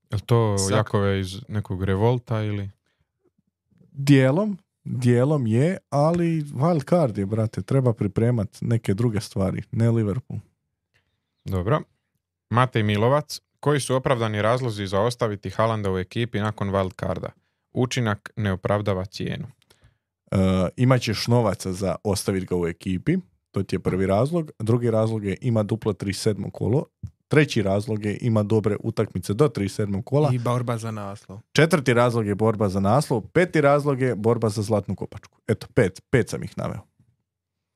Je li to Sak. Jakove iz nekog revolta ili? Dijelom, dijelom je, ali wild card je, brate. Treba pripremati neke druge stvari, ne Liverpool. Dobro. Matej Milovac. Koji su opravdani razlozi za ostaviti Haalanda u ekipi nakon wild carda? Učinak ne opravdava cijenu. Uh, imat ćeš novaca za ostaviti ga u ekipi, to ti je prvi razlog. Drugi razlog je ima duplo trideset sedmo kolo. Treći razlog je ima dobre utakmice do trideset sedmog kola. I borba za naslov. Četvrti razlog je borba za naslov. Peti razlog je borba za zlatnu kopačku. Eto, pet, pet sam ih naveo.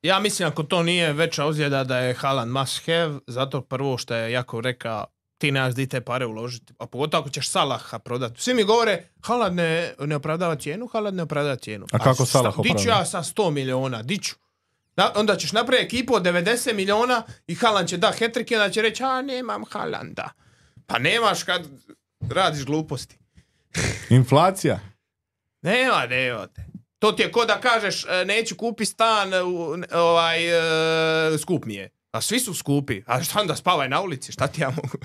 Ja mislim ako to nije veća ozljeda da je Haaland must have, zato prvo što je Jakov rekao ti nemaš di te pare uložiti, a pogotovo ako ćeš Salaha prodati. Svi mi govore Haaland ne, ne opravdava cijenu, Haaland ne opravdava cijenu. A kako Salah opravdava? Diću ja sa sto miliona, diću. Da, onda ćeš napraviti ekipu od devedeset miliona i Haaland će da hat-trick i onda će reći a nemam Haalanda. Pa nemaš kad radiš gluposti. Inflacija. Nema, nema te. To ti je ko da kažeš neću kupi stan, ovaj, skup mi je. A svi su skupi. A šta onda spavaj na ulici? Šta ti ja mogu?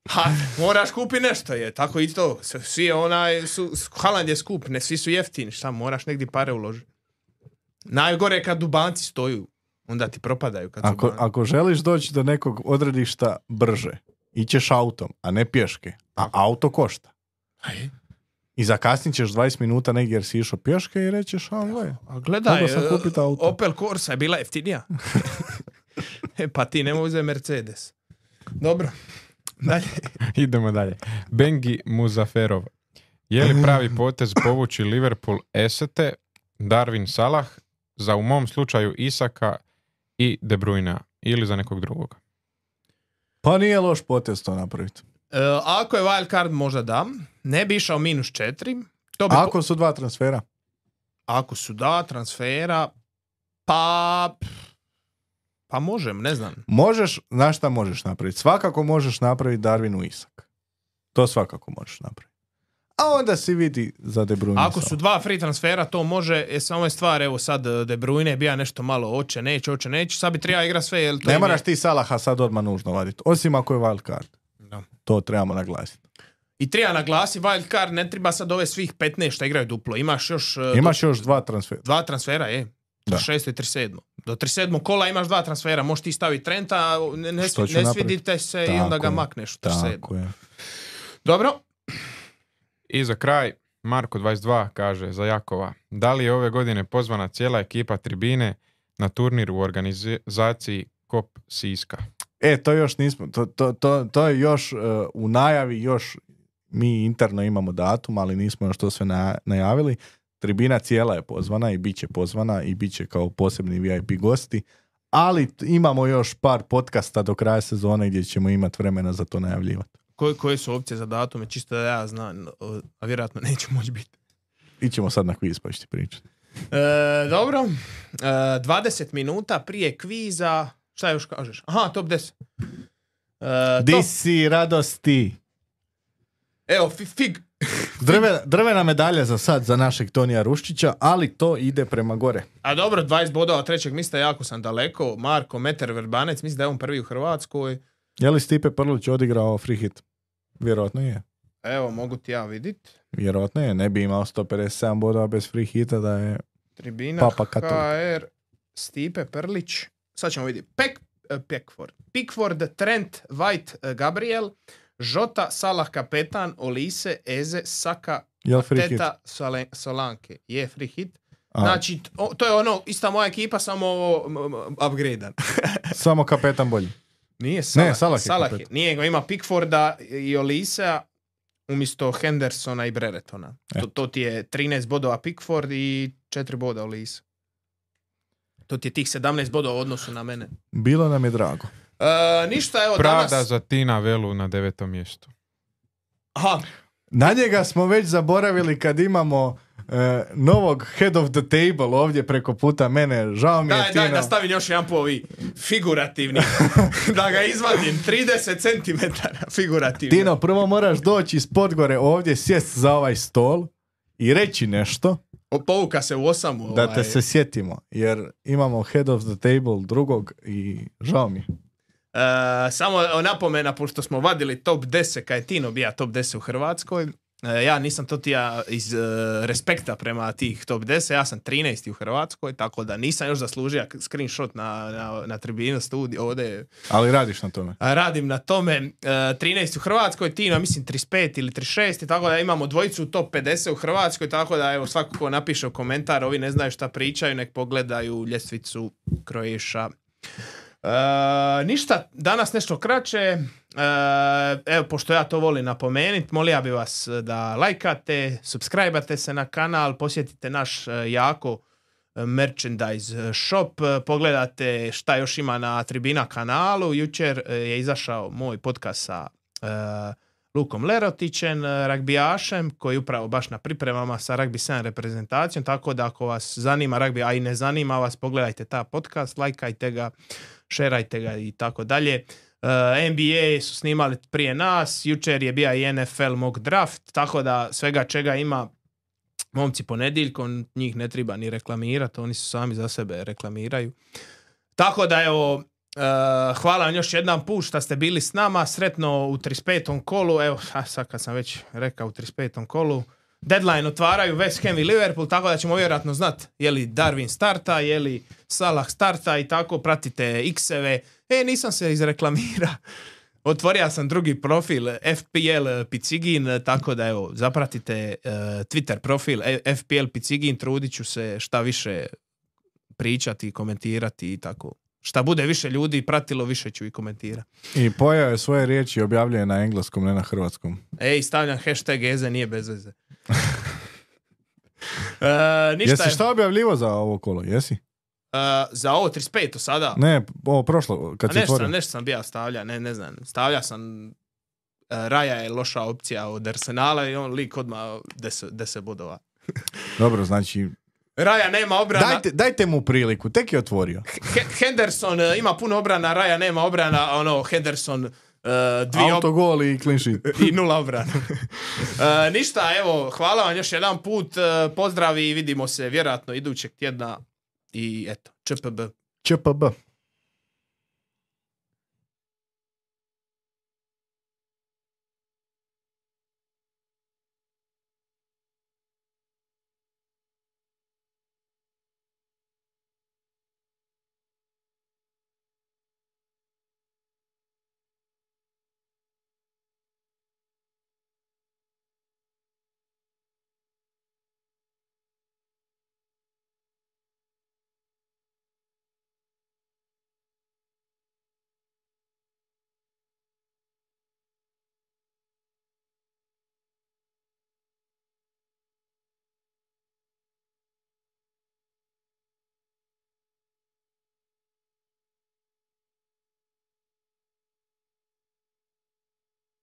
Ha, moraš kupi nešto je. Tako i to. Svi onaj, su, Haaland je skup, ne svi su jeftini. Šta, moraš negdje pare uložiti. Najgore je kad dubanci stoju. Onda ti propadaju. Kad ako, ako želiš doći do nekog odredišta brže, ićeš autom, a ne pješke. A auto košta. Aj. I zakasnit ćeš dvadeset minuta negdje jer si išao pješke i rećeš, a gle, a gledaj, sam kupiti auto. Opel Corsa je bila jeftinija. E, pa ti nemoj uzeti Mercedes. Dobro. Dalje. Idemo dalje. Bengi Muzaferov. Je li pravi potez povući Liverpool Esete, Darwin Salah, za u mom slučaju Isaka i De Bruyne ili za nekog drugog? Pa nije loš potez to napraviti. E, ako je wild card možda da. Ne bi išao minus četiri. To bi ako po... su dva transfera? Ako su da transfera, pa... Pa možem, ne znam. Možeš, znaš šta možeš napraviti? Svakako možeš napraviti Darwinu Isak. To svakako možeš napraviti. A onda si vidi za De Bruyne. Ako su dva free transfera, to može, je samo je stvar, evo sad De Bruyne bija nešto malo oče, neće, oče, neće, sad bi treba igra sve. Jel to ne je moraš ti Salaha sad odmah nužno vaditi, osim ako je wild card. No. To trebamo naglasiti. I treba naglasi, wild card ne treba sad ove svih petnaest što igraju duplo. Imaš još... Imaš do, još dva transfera. Dva transfera, je. trideset šesto i trideset sedmo. Do trideset sedmog kola imaš dva transfera, možeš ti staviti Trenta, ne, ne, ne svidite se tako i onda ga je. Makneš u trideset sedmo. Tako je. Dobro. I za kraj, Marko dvadeset dva kaže za Jakova, da li je ove godine pozvana cijela ekipa tribine na turnir u organizaciji Kop Siska? E, to još nismo, to, to, to, to je još uh, u najavi, još mi interno imamo datum, ali nismo još to sve na, najavili. Tribina cijela je pozvana i bit će pozvana i bit će kao posebni V I P gosti, ali imamo još par podcasta do kraja sezone gdje ćemo imati vremena za to najavljivati. Koje, koje su opcije za datume, čisto da ja znam, a vjerojatno neće moći biti. Ićemo sad na kviz pa ću ti pričati. E, dobro, e, dvadeset minuta prije kviza, šta još kažeš? Aha, top deset. E, Di top... si radosti? Evo, fig. Drve, drvena medalja za sad za našeg Tonija Ruščića, ali to ide prema gore. A dobro, dvadeset bodova trećeg mjesta, jako sam daleko. Marko Meter Verbanec, mislim da je on prvi u Hrvatskoj. Je li Stipe Prlić odigrao free hit? Vjerojatno je. Evo, mogu ti ja vidit. Vjerojatno je, ne bi imao sto pedeset sedam bodova bez free hita da je Tribina Papa H Katolik. R, Stipe Prlić. Sad ćemo vidjeti. Pek, Pickford. Pickford, Trent, White, Gabriel, Žota, Salah kapetan, Olise, Eze, Saka, Teta, Sole, Solanke. Je free hit. A. Znači, to, to je ono, ista moja ekipa, samo upgradean. Samo kapetan bolji. Nije, Salah, ne, Salah je Salah je. Nije, go ima Pickforda i Olisea umjesto Hendersona i Breretona. To, to ti je trinaest bodova Pickford i četiri boda Olise. To ti je tih sedamnaest bodova u odnosu na mene. Bilo nam je drago. E, ništa, evo Prada danas... za Tina Velu na devetom mjestu. Aha. Na njega smo već zaboravili kad imamo uh, novog head of the table ovdje preko puta mene. Žao mi daj, je Tino. Daj, da stavim još jedan po ovi figurativni. Da ga izvadim. trideset centimetara figurativni. Tino, prvo moraš doći iz Podgore ovdje, sjest za ovaj stol i reći nešto, O, povuka se u osamu. Da ovaj. te se sjetimo, jer imamo head of the table drugog i žao mi. E, samo napomena, pošto smo vadili top deset, kad je Tino bija top deset u Hrvatskoj, e, ja nisam to ti ja iz e, respekta prema tih top deset, ja sam trinaesti u Hrvatskoj, tako da nisam još zaslužio screenshot na, na, na tribinu studiju ovdje. Ali radiš na tome. A radim na tome. E, trinaesti u Hrvatskoj, Tino mislim trideset pet ili trideset šest, tako da imamo dvojicu u top pedeset u Hrvatskoj, tako da evo svako ko napiše u komentar, ovi ne znaju šta pričaju, nek pogledaju ljestvicu Croatia. E, ništa, danas nešto kraće. E, evo, pošto ja to volim napomenuti, molio bi vas da lajkate, subscribe-ate se na kanal, posjetite naš e, jako merchandise shop, pogledate šta još ima na Tribina kanalu. Jučer je izašao moj podcast sa uh, Lukom Lerotićem, ragbijašem, koji je upravo baš na pripremama sa Rugby sedam reprezentacijom, tako da ako vas zanima ragbi, a i ne zanima vas, pogledajte ta podcast, lajkajte ga, šerajte ga i tako dalje. Uh, N B A su snimali prije nas, jučer je bio i N F L mock draft, tako da svega čega ima momci ponedjeljkom, njih ne treba ni reklamirati, oni su sami za sebe reklamiraju. Tako da evo, uh, hvala vam još jedan put što ste bili s nama, sretno u trideset petom kolu, evo a sad kad sam već rekao u trideset petom kolu, deadline otvaraju West Ham i Liverpool, tako da ćemo vjerojatno znati je li Darwin starta, je li Salah starta i tako, pratite X-eve. E, nisam se izreklamirao. Otvorio sam drugi profil F P L Picigin, tako da evo, zapratite uh, Twitter profil F P L Picigin, trudit ću se šta više pričati, komentirati i tako. Šta bude više ljudi pratilo, više ću i komentirati. I pojave svoje riječi objavljuje na engleskom, ne na hrvatskom. Ej, stavljam hashtag Eze, nije bez veze. uh, ništa Jesi je... šta objavljivo za ovo kolo, jesi? Uh, za ovo trideset peto sada? Ne, ovo prošlo, kad A si nešto otvorio. sam, nešto sam bija stavlja, ne, ne znam. Stavlja sam, uh, Raja je loša opcija od Arsenala i on lik odmah deset bodova. Dobro, znači... Raja nema obrana. Dajte, dajte mu priliku, tek je otvorio. H- Henderson uh, ima puno obrana, Raja nema obrana, ono, Henderson uh, dvije Autogol i clean sheet. i nula obrana. uh, ništa, evo, hvala vam još jedan put, uh, pozdravi i vidimo se vjerojatno idućeg tjedna i eto, Č P B. Č P B.